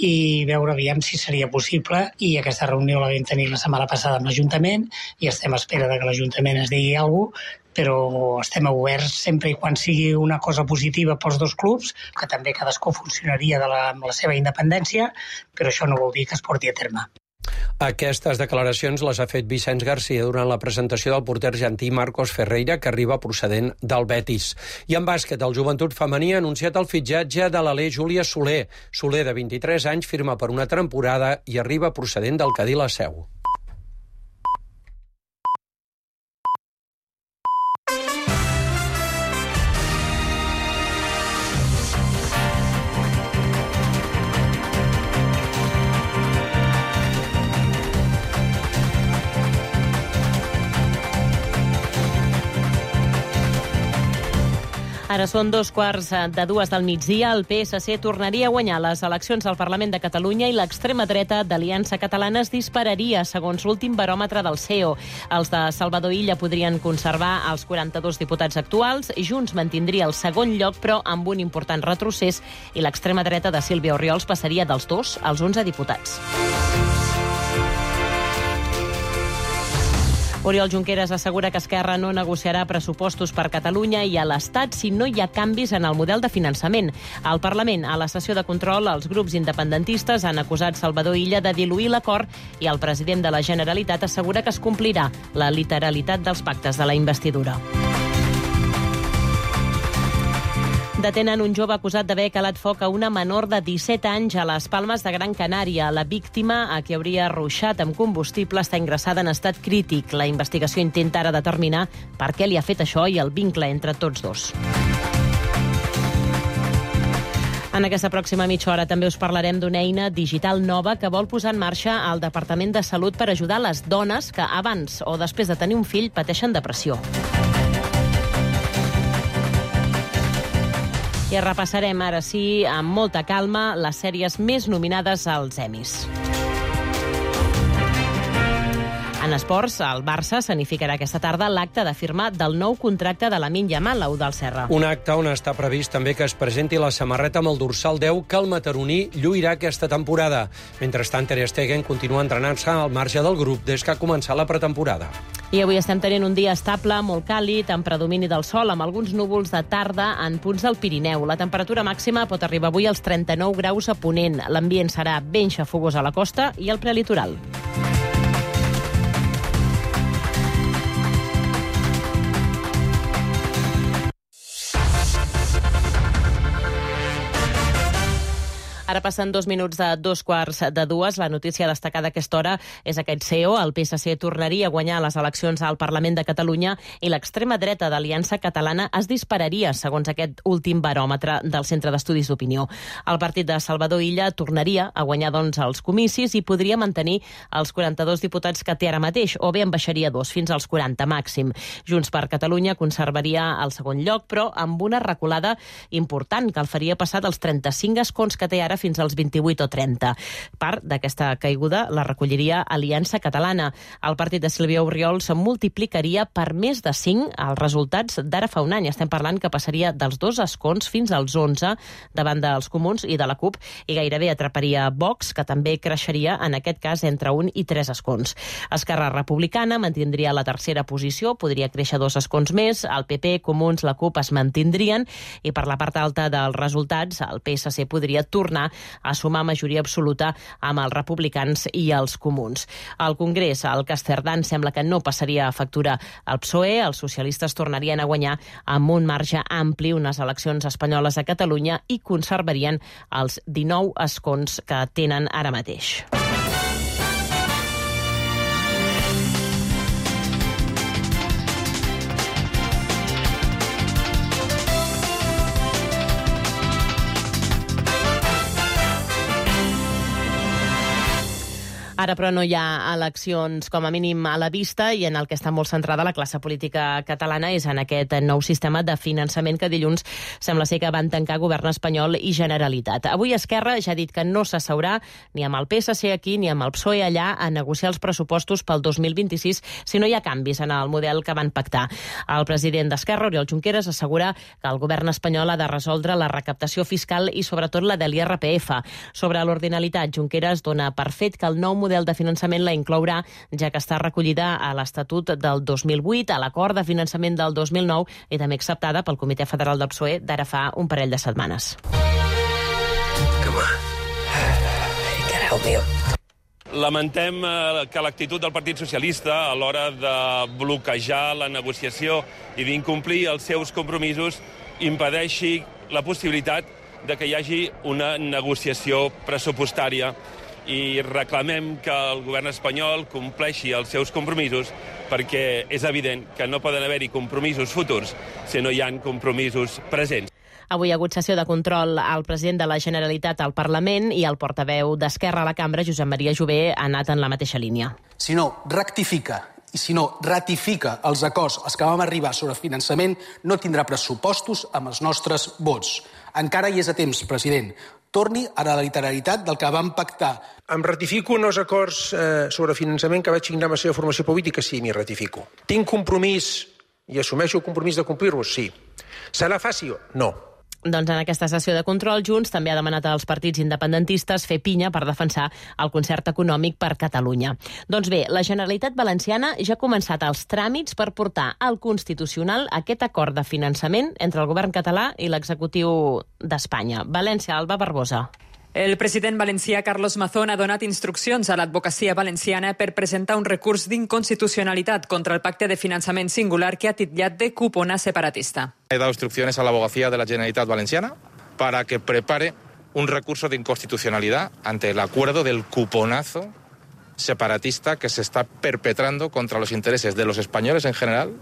i veure aviam si seria possible, i aquesta reunió la vam tenir la setmana passada amb l'Ajuntament i estem a espera de que l'Ajuntament es digui alguna cosa, però estem oberts sempre i quan sigui una cosa positiva pels dos clubs, que també cadascú funcionaria amb la seva independència, però això no vol dir que es porti a terme. Aquestes declaracions les ha fet Vicenç Garcia durant la presentació del porter argentí Marcos Ferreira, que arriba procedent del Betis. I en bàsquet, el Joventut Femení ha anunciat el fitxatge de l'alè Júlia Soler. Soler, de 23 anys, firma per una temporada i arriba procedent del Cadí la Seu. Ara són 2:15 del migdia. El PSC tornaria a guanyar les eleccions al Parlament de Catalunya i l'extrema dreta d'Aliança Catalana es dispararia, segons l'últim baròmetre del CEO. Els de Salvador Illa podrien conservar els 42 diputats actuals. Junts mantindria el segon lloc, però amb un important retrocés, i l'extrema dreta de Sílvia Orriols passaria dels 2 als 11 diputats. Oriol Junqueras assegura que Esquerra no negociarà pressupostos per Catalunya i a l'Estat si no hi ha canvis en el model de finançament. Al Parlament, a la sessió de control, els grups independentistes han acusat Salvador Illa de diluir l'acord i el president de la Generalitat assegura que es complirà la literalitat dels pactes de la investidura. Detenen un jove acusat d'haver calat foc a una menor de 17 anys a les Palmes de Gran Canària. La víctima, a qui hauria ruixat amb combustible, està ingressada en estat crític. La investigació intenta ara determinar per què li ha fet això i el vincle entre tots dos. En aquesta pròxima mitja hora també us parlarem d'una eina digital nova que vol posar en marxa el Departament de Salut per ajudar les dones que abans o després de tenir un fill pateixen depressió. I repassarem ara sí, amb molta calma, les sèries més nominades als Emmys. En esports, el Barça s'anificarà aquesta tarda l'acte de firma del nou contracte de Lamine Yamal, del Serra. Un acte on està previst també que es presenti la samarreta amb el dorsal 10 que el mataroní lluirà aquesta temporada. Mentrestant, Ter Stegen continua entrenant-se al marge del grup des que ha començat la pretemporada. I avui estem tenint un dia estable, molt càlid, amb predomini del sol, amb alguns núvols de tarda en punts del Pirineu. La temperatura màxima pot arribar avui als 39 graus a Ponent. L'ambient serà ben xafogós a la costa i al prelitoral. Ara passen 2 minuts de 2:15. La notícia destacada a aquesta hora és aquest CEO. El PSC tornaria a guanyar les eleccions al Parlament de Catalunya i l'extrema dreta d'Aliança Catalana es dispararia, segons aquest últim baròmetre del Centre d'Estudis d'Opinió. El partit de Salvador Illa tornaria a guanyar, doncs, els comicis i podria mantenir els 42 diputats que té ara mateix, o bé en baixaria 2 fins als 40 màxim. Junts per Catalunya conservaria el segon lloc, però amb una reculada important que el faria passar dels 35 escons que té ara fins als 28 o 30. Part d'aquesta caiguda la recolliria Aliança Catalana. El partit de Sílvia Orriols se multiplicaria per més de 5 els resultats d'ara fa un any. Estem parlant que passaria dels 2 escons fins als 11 davant dels Comuns i de la CUP i gairebé atraparia Vox, que també creixeria en aquest cas entre 1 i 3 escons. Esquerra Republicana mantindria la tercera posició, podria créixer 2 escons més, el PP, Comuns, la CUP es mantindrien i per la part alta dels resultats el PSC podria tornar a sumar majoria absoluta amb els republicans i els comuns. Al Congrés, el cas Cerdán sembla que no passaria a factura al PSOE, els socialistes tornarien a guanyar amb un marge ampli unes eleccions espanyoles a Catalunya i conservarien els 19 escons que tenen ara mateix. Ara, però, no hi ha eleccions com a mínim a la vista i en el que està molt centrada la classe política catalana és en aquest nou sistema de finançament que dilluns sembla ser que van tancar Govern espanyol i Generalitat. Avui Esquerra ja ha dit que no s'asseurà ni amb el PSC aquí ni amb el PSOE allà a negociar els pressupostos pel 2026 si no hi ha canvis en el model que van pactar. El president d'Esquerra, Oriol Junqueras, assegura que el govern espanyol ha de resoldre la recaptació fiscal i sobretot la de l'IRPF. Sobre l'ordinalitat, Junqueras dona per fet que el nou model de finançament la inclourà, ja que està recollida a l'Estatut del 2008, a l'acord de finançament del 2009 i també acceptada pel Comitè Federal del PSOE d'ara fa un parell de setmanes. Lamentem que l'actitud del Partit Socialista a l'hora de bloquejar la negociació i d'incomplir els seus compromisos impedeixi la possibilitat de que hi hagi una negociació pressupostària i reclamem que el govern espanyol compleixi els seus compromisos perquè és evident que no poden haver-hi compromisos futurs si no hi ha compromisos presents. Avui ha hagut sessió de control al president de la Generalitat al Parlament i el portaveu d'Esquerra a la Cambra, Josep Maria Jové, ha anat en la mateixa línia. Si no rectifica i si no ratifica els acords als que vam arribar sobre finançament, no tindrà pressupostos amb els nostres vots. Encara hi és a temps, president. Torni a la literalitat del que vam pactar. Em ratifico en els acords sobre finançament que vaig signar amb la seva formació política? Sí, m'hi ratifico. Tinc compromís i assumeixo el compromís de complir-los? Sí. Serà fàcil? No. Doncs en aquesta sessió de control, Junts també ha demanat als partits independentistes fer pinya per defensar el concert econòmic per Catalunya. Doncs bé, la Generalitat Valenciana ja ha començat els tràmits per portar al Constitucional aquest acord de finançament entre el govern català i l'executiu d'Espanya. València, Alba Barbosa. El president valencià Carlos Mazón ha donat instruccions a l'advocacia valenciana per presentar un recurs d'inconstitucionalitat contra el pacte de finançament singular que ha titllat de cupona separatista. He dado instrucciones a la abogacía de la Generalitat Valenciana para que prepare un recurso de inconstitucionalidad ante el acuerdo del cuponazo separatista que se está perpetrando contra los intereses de los españoles en general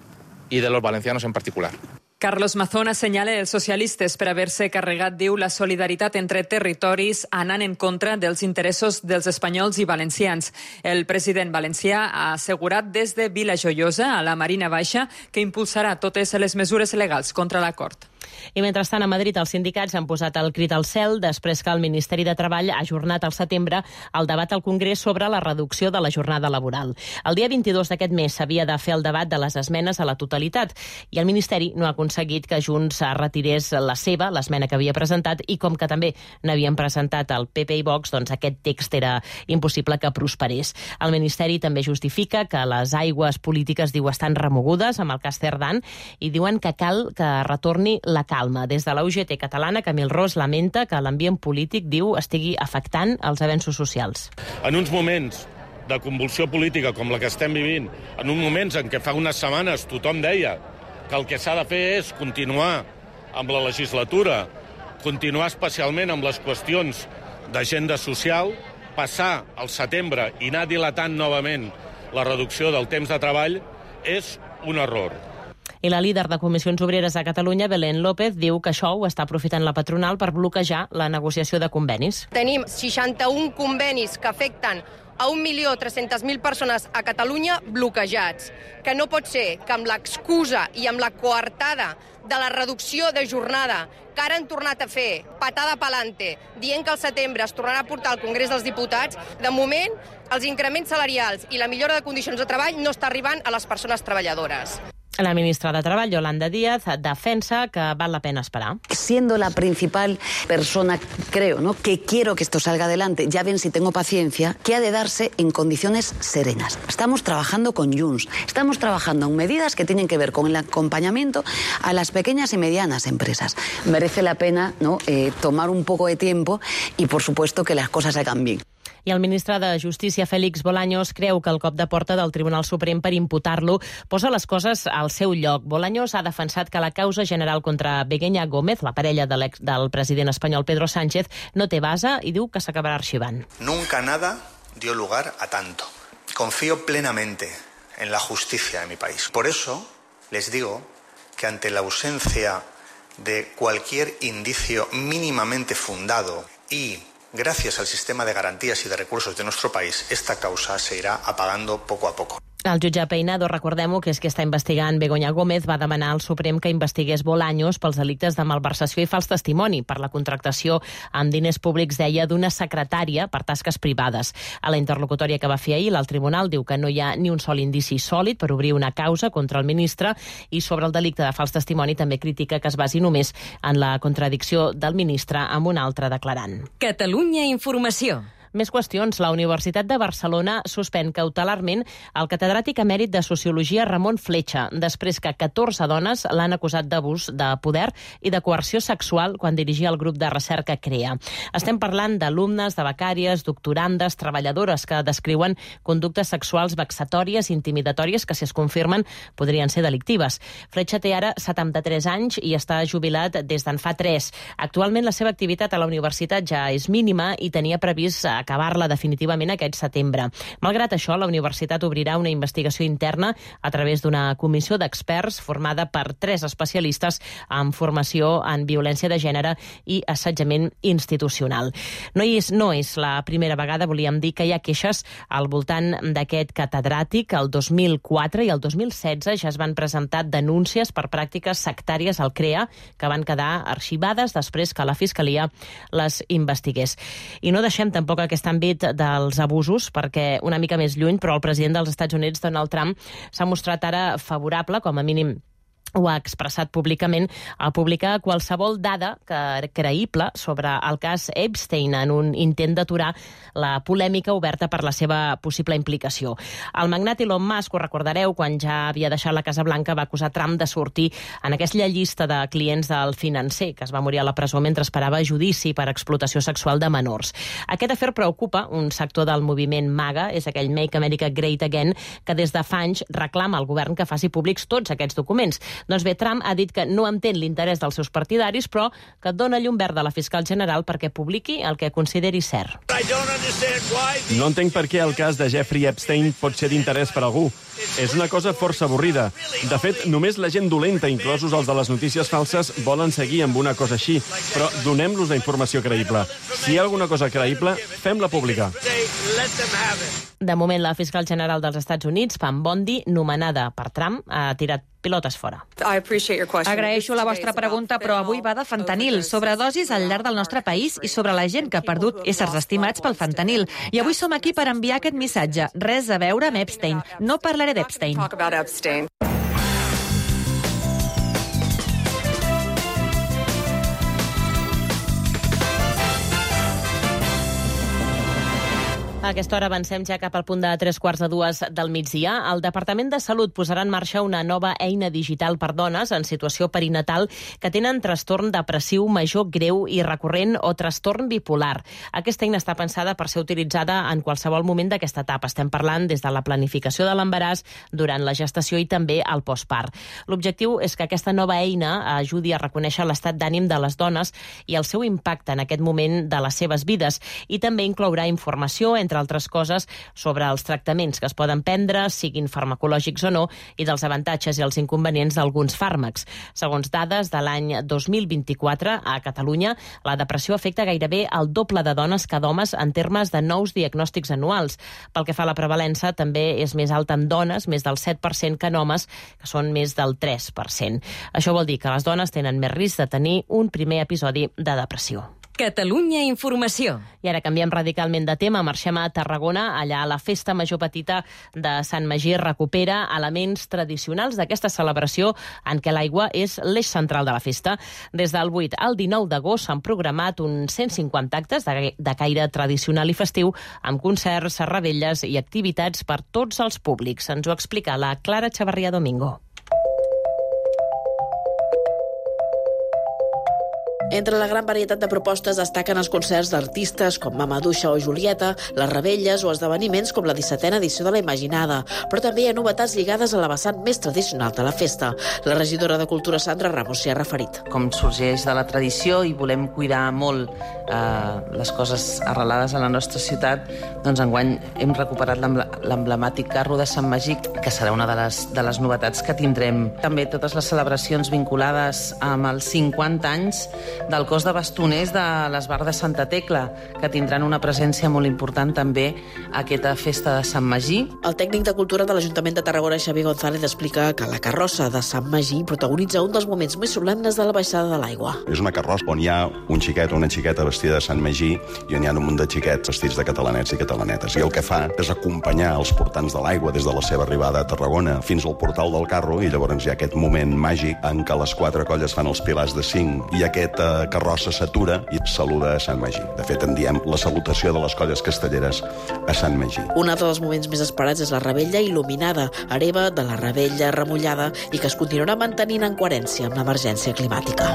y de los valencianos en particular. Carlos Mazón assenyala els socialistes per haver-se carregat, diu, la solidaritat entre territoris anant en contra dels interessos dels espanyols i valencians. El president valencià ha assegurat des de Vilajoiosa a la Marina Baixa que impulsarà totes les mesures legals contra l'acord. I mentrestant, a Madrid, els sindicats han posat el crit al cel després que el Ministeri de Treball ha ajornat al setembre el debat al Congrés sobre la reducció de la jornada laboral. El dia 22 d'aquest mes s'havia de fer el debat de les esmenes a la totalitat i el Ministeri no ha aconseguit que Junts retirés l'esmena que havia presentat, i com que també n'havien presentat el PP i Vox, doncs aquest text era impossible que prosperés. El Ministeri també justifica que les aigües polítiques, diu, estan remogudes amb el cas Cerdán i diuen que cal que retorni la calma. Des de la UGT catalana, Camil Ros lamenta que l'ambient polític, diu, estigui afectant els avenços socials. En uns moments de convulsió política com la que estem vivint, en uns moments en què fa unes setmanes tothom deia que el que s'ha de fer és continuar amb la legislatura, continuar especialment amb les qüestions d'agenda social, passar al setembre i anar dilatant novament la reducció del temps de treball és un error. I la líder de Comissions Obreres a Catalunya, Belén López, diu que això ho està aprofitant la patronal per bloquejar la negociació de convenis. Tenim 61 convenis que afecten a 1.300.000 persones a Catalunya bloquejats. Que no pot ser que amb l'excusa i amb la coartada de la reducció de jornada que ara han tornat a fer patada pa'lante, dient que al setembre es tornarà a portar al Congrés dels Diputats, de moment els increments salarials i la millora de condicions de treball no està arribant a les persones treballadores. La ministra de Treball, Yolanda Díaz, defensa que val la pena esperar. Siendo la principal persona, creo, ¿no?, que quiero que esto salga adelante, ya ven si tengo paciencia, que ha de darse en condiciones serenas. Estamos trabajando con Junts, estamos trabajando en medidas que tienen que ver con el acompañamiento a las pequeñas y medianas empresas. Merece la pena, ¿no?, tomar un poco de tiempo y, por supuesto, que las cosas salgan bien. I el ministre de Justícia, Félix Bolaños, creu que el cop de porta del Tribunal Suprem per imputar-lo posa les coses al seu lloc. Bolaños ha defensat que la causa general contra Begoña Gómez, la parella del president espanyol Pedro Sánchez, no té base i diu que s'acabarà arxivant. Nunca nada dio lugar a tanto. Confío plenamente en la justicia de mi país. Por eso les digo que ante la ausencia de cualquier indicio mínimamente fundado y gracias al sistema de garantías y de recursos de nuestro país, esta causa se irá apagando poco a poco. El jutge Peinado, recordem-ho, que és qui està investigant Begoña Gómez, va demanar al Suprem que investigués Bolaños pels delictes de malversació i fals testimoni per la contractació amb diners públics, deia, d'una secretària per tasques privades. A la interlocutòria que va fer ahir, el tribunal diu que no hi ha ni un sol indici sòlid per obrir una causa contra el ministre i sobre el delicte de fals testimoni també critica que es basi només en la contradicció del ministre amb un altre declarant. Catalunya Informació. Més qüestions. La Universitat de Barcelona suspèn cautelarment el catedràtic emèrit de Sociologia Ramon Fletxa, després que 14 dones l'han acusat d'abús de poder i de coerció sexual quan dirigia el grup de recerca CREA. Estem parlant d'alumnes, de becàries, doctorandes, treballadores que descriuen conductes sexuals vexatòries, intimidatòries, que si es confirmen podrien ser delictives. Fletxa té ara 73 anys i està jubilat des d'en fa 3. Actualment la seva activitat a la universitat ja és mínima i tenia previst acabar-la definitivament aquest setembre. Malgrat això, la universitat obrirà una investigació interna a través d'una comissió d'experts formada per 3 especialistes amb formació en violència de gènere i assetjament institucional. No és la primera vegada, volíem dir, que hi ha queixes al voltant d'aquest catedràtic. El 2004 i el 2016 ja es van presentar denúncies per pràctiques sectàries al CREA que van quedar arxivades després que la Fiscalia les investigués. I no deixem tampoc aquest àmbit dels abusos, perquè una mica més lluny, però el president dels Estats Units, Donald Trump, s'ha mostrat ara favorable, com a mínim ho ha expressat públicament, a publicar qualsevol dada creïble sobre el cas Epstein en un intent d'aturar la polèmica oberta per la seva possible implicació. El magnat Elon Musk, ho recordareu, quan ja havia deixat la Casa Blanca, va acusar Trump de sortir en aquella llista de clients del financer, que es va morir a la presó mentre esperava judici per explotació sexual de menors. Aquest afer preocupa un sector del moviment MAGA, és aquell Make America Great Again, que des de fa anys reclama al govern que faci públics tots aquests documents. Doncs bé, Trump ha dit que no entén l'interès dels seus partidaris, però que dona llum verda a la fiscal general perquè publiqui el que consideri cert. No entenc per què el cas de Jeffrey Epstein pot ser d'interès per algú. És una cosa força avorrida. De fet, només la gent dolenta, inclosos els de les notícies falses, volen seguir amb una cosa així. Però donem-los la informació creïble. Si hi ha alguna cosa creïble, fem-la pública. De moment, la fiscal general dels Estats Units, Pam Bondi, nomenada per Trump, ha tirat pilotes fora. Agraeixo la vostra pregunta, però avui va de fentanil, sobredosis al llarg del nostre país i sobre la gent que ha perdut éssers estimats pel fentanil. I avui som aquí per enviar aquest missatge. Res a veure amb Epstein. No parlaré d'Epstein. A aquesta hora avancem ja cap al punt de 3:45 del migdia. El Departament de Salut posarà en marxa una nova eina digital per dones en situació perinatal que tenen trastorn depressiu major greu i recurrent o trastorn bipolar. Aquesta eina està pensada per ser utilitzada en qualsevol moment d'aquesta etapa. Estem parlant des de la planificació de l'embaràs, durant la gestació i també al postpart. L'objectiu és que aquesta nova eina ajudi a reconèixer l'estat d'ànim de les dones i el seu impacte en aquest moment de les seves vides, i també inclourà informació, entre altres coses, sobre els tractaments que es poden prendre, siguin farmacològics o no, i dels avantatges i els inconvenients d'alguns fàrmacs. Segons dades de l'any 2024, a Catalunya, la depressió afecta gairebé el doble de dones que d'homes en termes de nous diagnòstics anuals. Pel que fa a la prevalença, també és més alta en dones, més del 7%, que en homes, que són més del 3%. Això vol dir que les dones tenen més risc de tenir un primer episodi de depressió. Catalunya Informació. I ara canviem radicalment de tema, marxem a Tarragona. Allà la Festa Major Petita de Sant Magí recupera elements tradicionals d'aquesta celebració en què l'aigua és l'eix central de la festa. Des del 8 al 19 d'agost s'han programat uns 150 actes de caire tradicional i festiu, amb concerts, revetlles i activitats per tots els públics. Ens ho explica la Clara Chavarría Domingo. Entre la gran varietat de propostes destaquen els concerts d'artistes com Mamaduixa o Julieta, les revetlles o esdeveniments com la 17a edició de la Imaginada, però també hi ha novetats lligades a la vessant més tradicional de la festa. La regidora de Cultura, Sandra Ramos, s'hi ha referit. Com sorgeix de la tradició i volem cuidar molt les coses arrelades a la nostra ciutat, doncs enguany hem recuperat l'emblemàtic carro de Sant Magí, que serà una de les novetats que tindrem. També totes les celebracions vinculades amb els 50 anys del cos de bastoners de l'Esbar de Santa Tecla, que tindran una presència molt important també a aquesta festa de Sant Magí. El tècnic de Cultura de l'Ajuntament de Tarragona, Xavi González, explica que la carrossa de Sant Magí protagonitza un dels moments més solemnes de la baixada de l'aigua. És una carrossa on hi ha un xiquet o una xiqueta vestida de Sant Magí i on hi ha un munt de xiquets vestits de catalanets i catalanetes. I el que fa és acompanyar els portants de l'aigua des de la seva arribada a Tarragona fins al portal del carro, i llavors hi ha aquest moment màgic en què les 4 colles fan els pilars de 5 i aquesta carrossa s'atura i saluda a Sant Magí. De fet, en diem la salutació de les colles castelleres a Sant Magí. Un altre dels moments més esperats és la Revetlla il·luminada, hereva de la Revetlla remullada i que es continuarà mantenint en coherència amb l'emergència climàtica.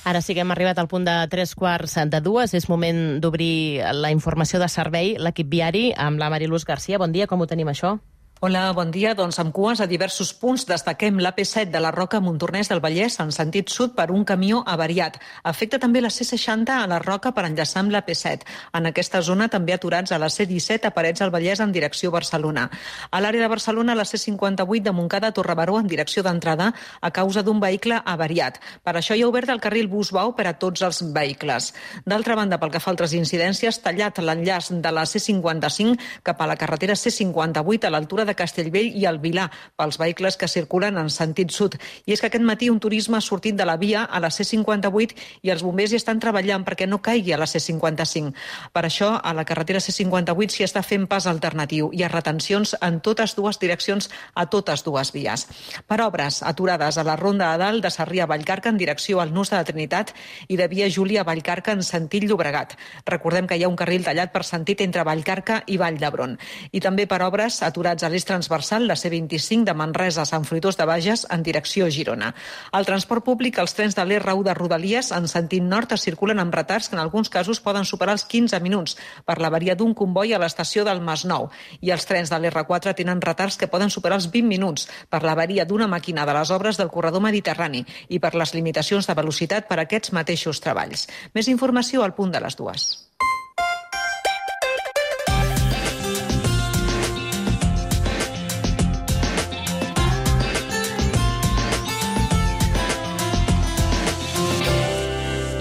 Ara sí que hem arribat al punt de 3:45. És moment d'obrir la informació de servei, l'equip viari, amb la Mariluz Garcia. Bon dia, com ho tenim això? Hola, bon dia. Doncs amb cues a diversos punts destaquem l'AP7 de la Roca a Montornès del Vallès en sentit sud per un camió avariat. Afecta també la C60 a la Roca per enllaçar amb l'AP7. En aquesta zona també aturats a la C17 a Parets del Vallès en direcció Barcelona. A l'àrea de Barcelona, la C58 de Montcada a Torrebaró en direcció d'entrada a causa d'un vehicle avariat. Per això hi ha obert el carril Busbau per a tots els vehicles. D'altra banda, pel que fa a altres incidències, tallat l'enllaç de la C55 cap a la carretera C58 a l'altura de Castellvell i el Vilar pels vehicles que circulen en sentit sud. I és que aquest matí un turisme ha sortit de la via a la C58 i els bombers hi estan treballant perquè no caigui a la C55. Per això, a la carretera C58 s'hi està fent pas alternatiu. Hi ha retencions en totes dues direccions a totes dues vies. Per obres aturades a la Ronda de Dalt de Sarrià a Vallcarca en direcció al Nus de la Trinitat i de Via Júlia a Vallcarca en sentit Llobregat. Recordem que hi ha un carril tallat per sentit entre Vallcarca i Vall d'Hebron. I també per obres aturats a l'eix transversal, la C25 de Manresa a Sant Fruitós de Bages en direcció a Girona. Al transport públic, els trens de l'R1 de Rodalies en sentit nord es circulen amb retards que en alguns casos poden superar els 15 minuts per l'avaria d'un comboi a l'estació del Masnou. I els trens de l'R4 tenen retards que poden superar els 20 minuts per l'avaria d'una màquina de les obres del corredor mediterrani i per les limitacions de velocitat per a aquests mateixos treballs. Més informació al punt de les 2.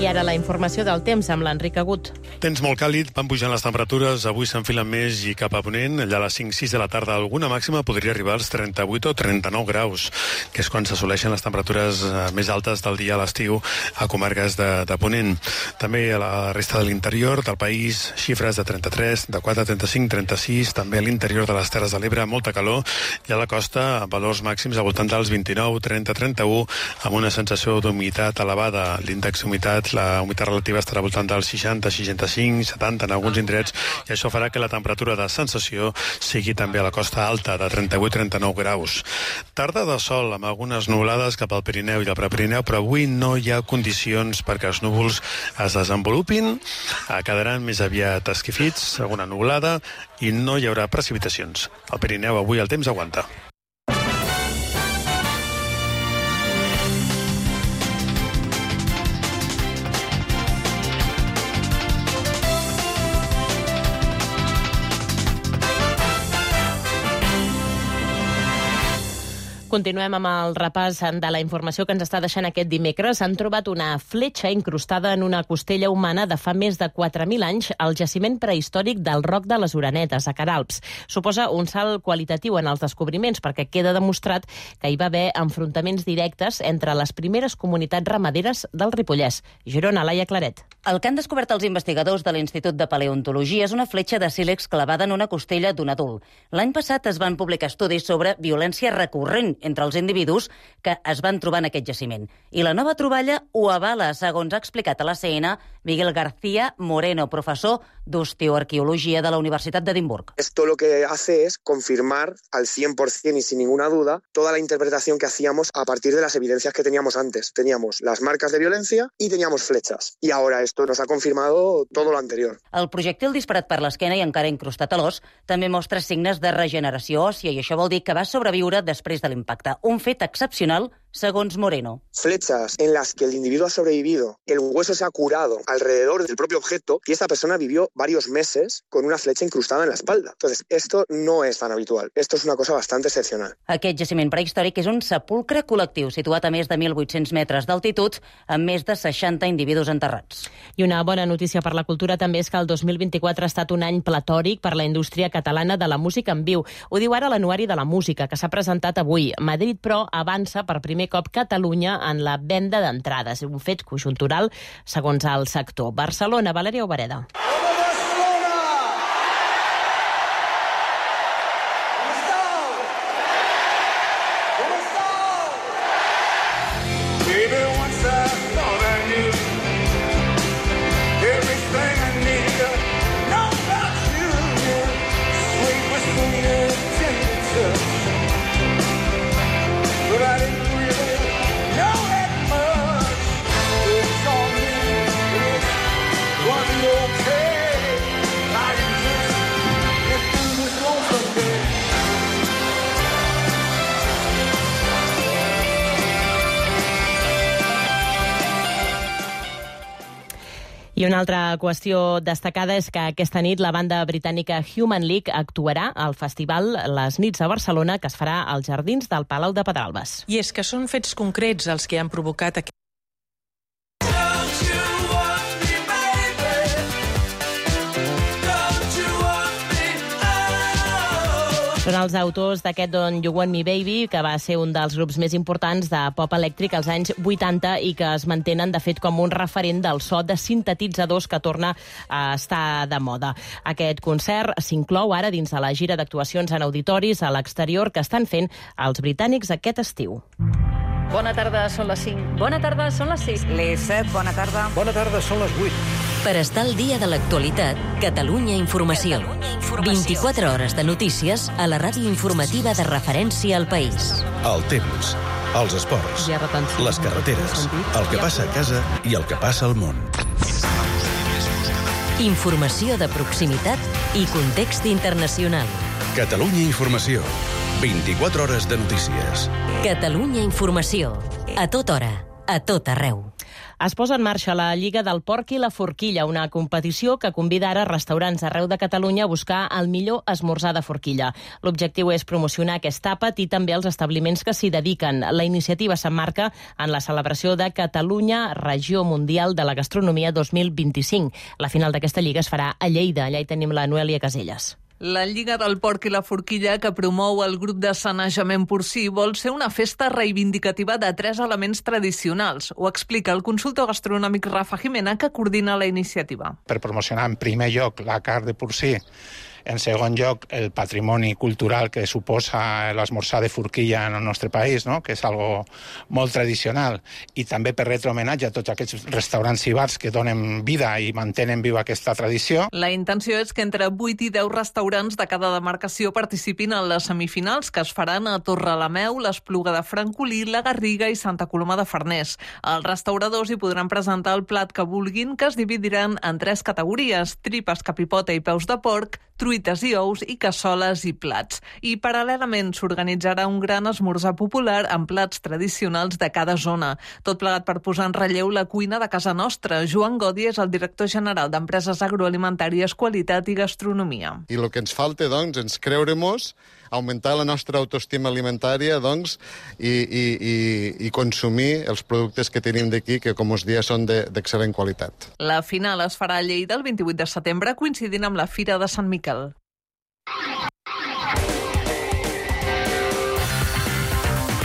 I ara la informació del temps amb l'Enric Agut. Temps molt càlid, van pujant les temperatures, avui s'enfilen més i cap a ponent, allà a les 5-6 de la tarda alguna màxima podria arribar als 38 o 39 graus, que és quan s'assoleixen les temperatures més altes del dia a l'estiu a comarques de ponent. També a la resta de l'interior del país, xifres de 33, de 4 a 35, 36, també a l'interior de les Terres de l'Ebre, molta calor, i a la costa valors màxims al voltant dels 29, 30, 31, amb una sensació d'humitat elevada. L'índex d'humitat, la humitat relativa estarà al voltant dels 60, 65, 70 en alguns indrets, i això farà que la temperatura de sensació sigui també a la costa alta, de 38-39 graus. Tarda de sol, amb algunes nuvolades cap al Pirineu i al Prepirineu, però avui no hi ha condicions perquè els núvols es desenvolupin, quedaran més aviat esquifits, alguna nuvolada, i no hi haurà precipitacions. Al Pirineu avui el temps aguanta. Continuem amb el repàs de la informació que ens està deixant aquest dimecres. Han trobat una fletxa incrustada en una costella humana de fa més de 4.000 anys al jaciment prehistòric del Roc de les Orenetes, a Queralbs. Suposa un salt qualitatiu en els descobriments perquè queda demostrat que hi va haver enfrontaments directes entre les primeres comunitats ramaderes del Ripollès. Girona, Laia Claret. El que han descobert els investigadors de l'Institut de Paleontologia és una fletxa de sílex clavada en una costella d'un adult. L'any passat es van publicar estudis sobre violència recurrent entre els individus que es van trobar en aquest jaciment. I la nova troballa ho avala, segons ha explicat a la CN Miguel García Moreno, professor d'osteoarqueologia de la Universitat d'Edimburg. Esto lo que hace es confirmar al 100% y sin ninguna duda toda la interpretación que hacíamos a partir de las evidencias que teníamos antes. Teníamos las marcas de violencia y teníamos flechas. Y ahora esto esto nos ha confirmado todo lo anterior. El projectil disparat per l'esquena i encara incrustat a l'os també mostra signes de regeneració òssia i això vol dir que va sobreviure després de l'impacte. Un fet excepcional, segons Moreno. Flechas en las que el individuo ha sobrevivido, el hueso se ha curado alrededor del propio objeto y esta persona vivió varios meses con una flecha incrustada en la espalda. Entonces, esto no es tan habitual. Esto es una cosa bastante excepcional. Aquest jaciment prehistòric és un sepulcre col·lectiu situat a més de 1.800 metres d'altitud amb més de 60 individus enterrats. I una bona notícia per la cultura també és que el 2024 ha estat un any platòric per la indústria catalana de la música en viu. Ho diu ara l'Anuari de la Música, que s'ha presentat avui. Madrid, però, avança per primer cop Catalunya en la venda d'entrades. Un fet conjuntural, segons el sector. Barcelona, Valèria Obereda. I una altra qüestió destacada és que aquesta nit la banda britànica Human League actuarà al festival Les Nits a Barcelona, que es farà als jardins del Palau de Pedralbes. I és que són fets concrets els que han provocat aquest... Són els autors d'aquest Don't You Want Me Baby, que va ser un dels grups més importants de pop elèctric als anys 80 i que es mantenen, de fet, com un referent del so de sintetitzadors que torna a estar de moda. Aquest concert s'inclou ara dins de la gira d'actuacions en auditoris a l'exterior que estan fent els britànics aquest estiu. Bona tarda, són les 5. Bona tarda, són les 6. Les 7, bona tarda. Bona tarda, són les 8. Per estar al dia de l'actualitat, Catalunya Informació. 24 hores de notícies a la ràdio informativa de referència al país. El temps, els esports, les carreteres, el que passa a casa i el que passa al món. Informació de proximitat i context internacional. Catalunya Informació. 24 hores de notícies. Catalunya Informació. A tota hora, a tot arreu. Es posa en marxa la Lliga del Porc i la Forquilla, una competició que convida ara restaurants arreu de Catalunya a buscar el millor esmorzar de forquilla. L'objectiu és promocionar aquest àpat i també els establiments que s'hi dediquen. La iniciativa s'emmarca en la celebració de Catalunya Regió Mundial de la Gastronomia 2025. La final d'aquesta lliga es farà a Lleida. Allà hi tenim la Noèlia Caselles. La Lliga del Porc i la Forquilla, que promou el grup de sanejament porcí, vol ser una festa reivindicativa de 3 elements tradicionals. Ho explica el consultor gastronòmic Rafa Jimena, que coordina la iniciativa. Per promocionar en primer lloc la carn de porcí, en segon lloc el patrimoni cultural que suposa l'esmorzar de forquilla en el nostre país, no? Que és algo molt tradicional, i també per retre homenatge a tots aquests restaurants i bars que donen vida i mantenen viva aquesta tradició. La intenció és que entre 8 i 10 restaurants de cada demarcació participin en les semifinals, que es faran a Torrelameu, l'Espluga de Francolí, la Garriga i Santa Coloma de Farners. Els restauradors hi podran presentar el plat que vulguin, que es dividiran en 3 categories: tripes, capipota i peus de porc, truites i ous i cassoles i plats. I paral·lelament s'organitzarà un gran esmorzar popular amb plats tradicionals de cada zona. Tot plegat per posar en relleu la cuina de casa nostra. Joan Godi és el director general d'Empreses Agroalimentàries, Qualitat i Gastronomia. I el que ens falta, doncs, és creure-mos, augmentar la nostra autoestima alimentària, doncs, i consumir els productes que tenim d'aquí, que, com us dia, són d'excel·lent qualitat. La final es farà a Lleida el 28 de setembre, coincidint amb la Fira de Sant Miquel.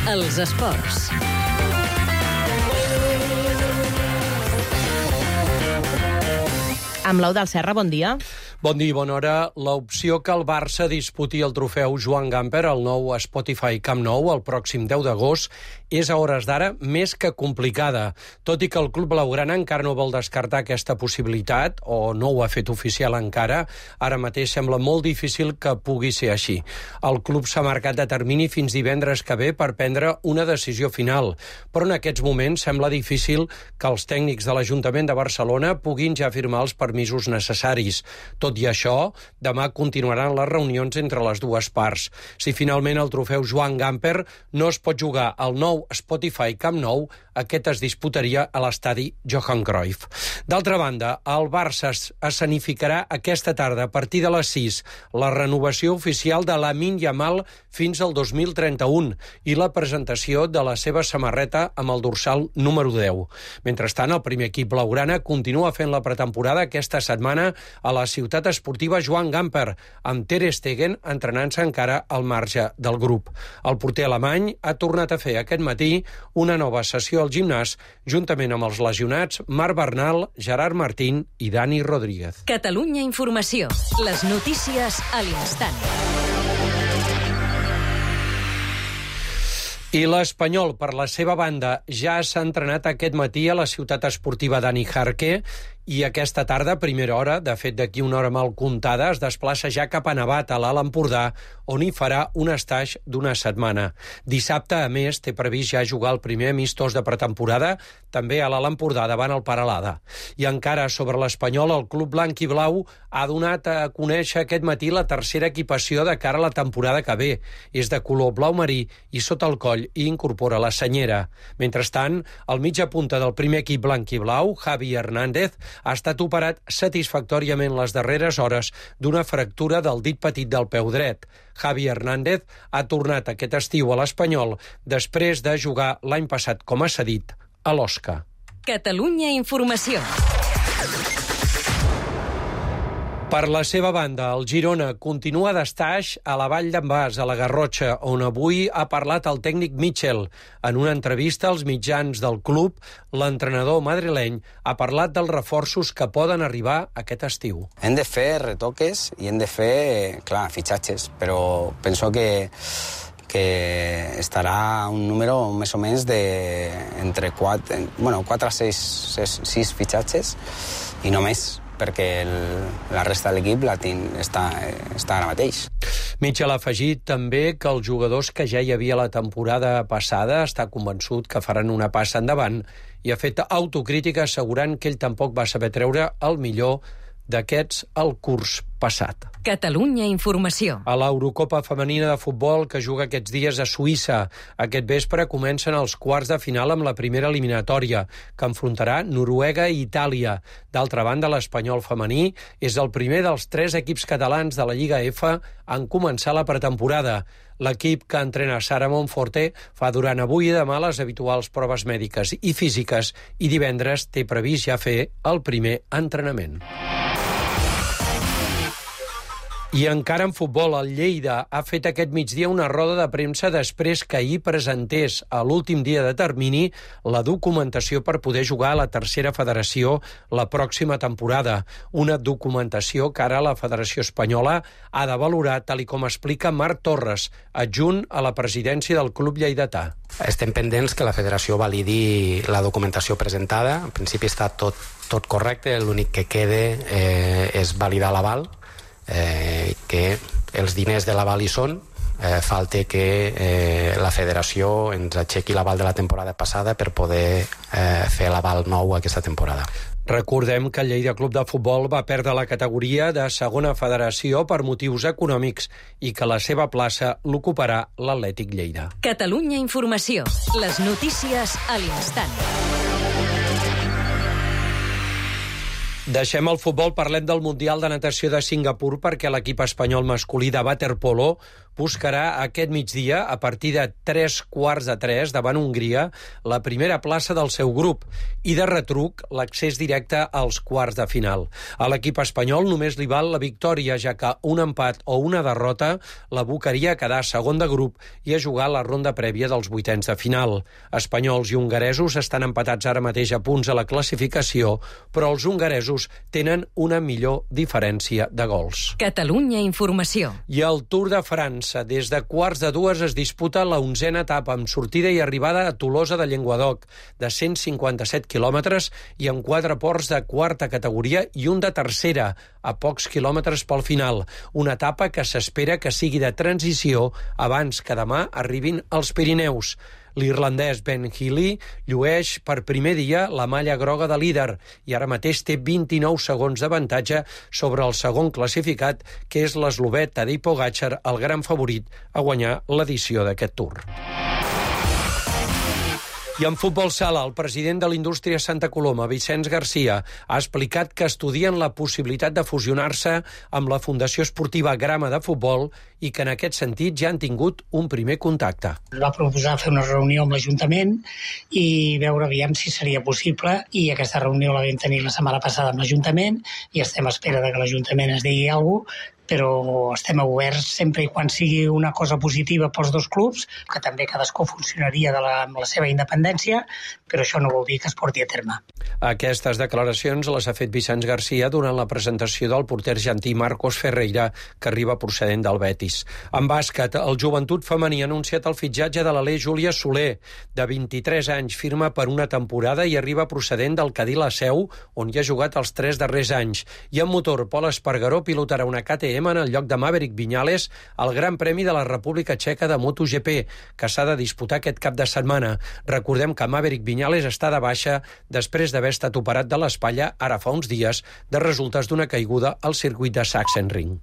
Els esports. Amb l'Eudald Serra, bon dia. Bon dia i bona hora. L'opció que el Barça disputi el trofeu Joan Gamper al nou Spotify Camp Nou el pròxim 10 d'agost és a hores d'ara més que complicada. Tot i que el club blaugrana encara no vol descartar aquesta possibilitat, o no ho ha fet oficial encara, ara mateix sembla molt difícil que pugui ser així. El club s'ha marcat de termini fins divendres que ve per prendre una decisió final, però en aquests moments sembla difícil que els tècnics de l'Ajuntament de Barcelona puguin ja firmar els permisos necessaris. Tot i això, demà continuaran les reunions entre les dues parts. Si finalment el trofeu Joan Gamper no es pot jugar al nou Spotify Camp Nou, aquest es disputaria a l'estadi Johan Cruyff. D'altra banda, el Barça escenificarà aquesta tarda, a partir de les 6, la renovació oficial de Lamine Yamal fins al 2031 i la presentació de la seva samarreta amb el dorsal número 10. Mentrestant, el primer equip blaugrana continua fent la pretemporada aquesta setmana a la ciutat esportiva Joan Gamper, amb Ter Stegen entrenant-se encara al marge del grup. El porter alemany ha tornat a fer aquest matí una nova sessió al gimnàs juntament amb els lesionats Marc Bernal, Gerard Martín i Dani Rodríguez. Catalunya Informació. Les notícies a l'instant. I l'Espanyol, per la seva banda, ja s'ha entrenat aquest matí a la ciutat esportiva Dani Jarque i aquesta tarda, a primera hora, de fet d'aquí una hora mal comptada, es desplaça ja cap a Nevat, a l'Alt Empordà, on hi farà un estaix d'una setmana. Dissabte, a més, té previst ja jugar el primer amistós de pretemporada, també a l'Alt Empordà, davant el Peralada. I encara sobre l'Espanyol, el club blanc i blau ha donat a conèixer aquest matí la tercera equipació de cara a la temporada que ve. És de color blau marí i sota el coll i incorpora la senyera. Mentrestant, el mitja punta del primer equip blanc i blau, Javi Hernández, ha estat operat satisfactòriament les darreres hores d'una fractura del dit petit del peu dret. Javi Hernández ha tornat aquest estiu a l'Espanyol després de jugar l'any passat com a cedit a l'Osca. Catalunya Informació. Per la seva banda, el Girona continua d'estaix a la Vall d'en Bas, a la Garrotxa, on avui ha parlat el tècnic Mitchell. En una entrevista als mitjans del club, l'entrenador madrileny ha parlat dels reforços que poden arribar aquest estiu. Hem de fer retoques i hem de fer, clar, fitxatges, però penso que estarà un número més o menys entre 4 a 6 fitxatges i no més, perquè la resta de l'equip està ara mateix. Mitchell ha afegit també que els jugadors que ja hi havia la temporada passada està convençut que faran una passa endavant i ha fet autocrítica assegurant que ell tampoc va saber treure el millor d'aquests el curs passat. Catalunya Informació. A l'Eurocopa femenina de futbol que juga aquests dies a Suïssa. Aquest vespre comencen els quarts de final amb la primera eliminatòria, que enfrontarà Noruega i Itàlia. D'altra banda, l'Espanyol femení és el primer dels 3 equips catalans de la Lliga F en començar la pretemporada. L'equip que entrena Sara Monforte fa durant avui i demà les habituals proves mèdiques i físiques i divendres té previst ja fer el primer entrenament. I encara en futbol, el Lleida ha fet aquest migdia una roda de premsa després que ahir presentés a l'últim dia de termini la documentació per poder jugar a la tercera federació la pròxima temporada. Una documentació que ara la Federació Espanyola ha de valorar, tal com explica Marc Torres, adjunt a la presidència del club lleidatà. Estem pendents que la federació validi la documentació presentada. En principi està tot correcte, l'únic que queda és validar l'aval, que els diners de l'aval hi són, falta que la federació ens aixequi l'aval de la temporada passada per poder fer l'aval nou aquesta temporada. Recordem que el Lleida Club de Futbol va perdre la categoria de segona federació per motius econòmics i que la seva plaça l'ocuparà l'Atlètic Lleida. Catalunya Informació. Les notícies a l'instant. Deixem el futbol, parlem del Mundial de Natació de Singapur perquè l'equip espanyol masculí de waterpolo buscarà aquest migdia, a partir de 2:45 davant Hongria, la primera plaça del seu grup i de retruc l'accés directe als quarts de final. A l'equip espanyol només li val la victòria, ja que un empat o una derrota l'abocaria a quedar segon de grup i a jugar la ronda prèvia dels vuitens de final. Espanyols i hongaresos estan empatats ara mateix a punts a la classificació, però els hongaresos tenen una millor diferència de gols. Catalunya Informació. I el Tour de França. Des de 1:45 es disputa la 11a etapa amb sortida i arribada a Tolosa de Llenguadoc, de 157 quilòmetres i amb 4 ports de quarta categoria i un de tercera, a pocs quilòmetres pel final. Una etapa que s'espera que sigui de transició abans que demà arribin als Pirineus. L'irlandès Ben Healy llueix per primer dia la malla groga de líder i ara mateix té 29 segons d'avantatge sobre el segon classificat, que és l'eslovè Tadej Pogačar, el gran favorit a guanyar l'edició d'aquest Tour. I en futbol sala, el president de l'indústria Santa Coloma, Vicenç Garcia, ha explicat que estudien la possibilitat de fusionar-se amb la Fundació Esportiva Grama de Futbol i que en aquest sentit ja han tingut un primer contacte. Va proposar fer una reunió amb l'Ajuntament i veure aviam si seria possible, i aquesta reunió la vam tenir la setmana passada amb l'Ajuntament i estem a espera de que l'Ajuntament es digui alguna cosa, però estem oberts sempre i quan sigui una cosa positiva pels dos clubs, que també cadascú funcionaria amb la seva independència, però això no vol dir que es porti a terme. Aquestes declaracions les ha fet Vicenç Garcia durant la presentació del porter argentí Marcos Ferreira, que arriba procedent del Betis. En bàsquet, el Joventut Femení ha anunciat el fitxatge de l'alè Júlia Soler, de 23 anys, firma per una temporada i arriba procedent del Cadí La Seu, on hi ha jugat els 3 darrers anys. I en motor, Pol Espargaró pilotarà una KTM en el lloc de Maverick Viñales al Gran Premi de la República Txeca de MotoGP, que s'ha de disputar aquest cap de setmana. Recordem que Maverick Viñales està de baixa després d'haver estat operat de l'espatlla ara fa uns dies de resultes d'una caiguda al circuit de Sachsenring.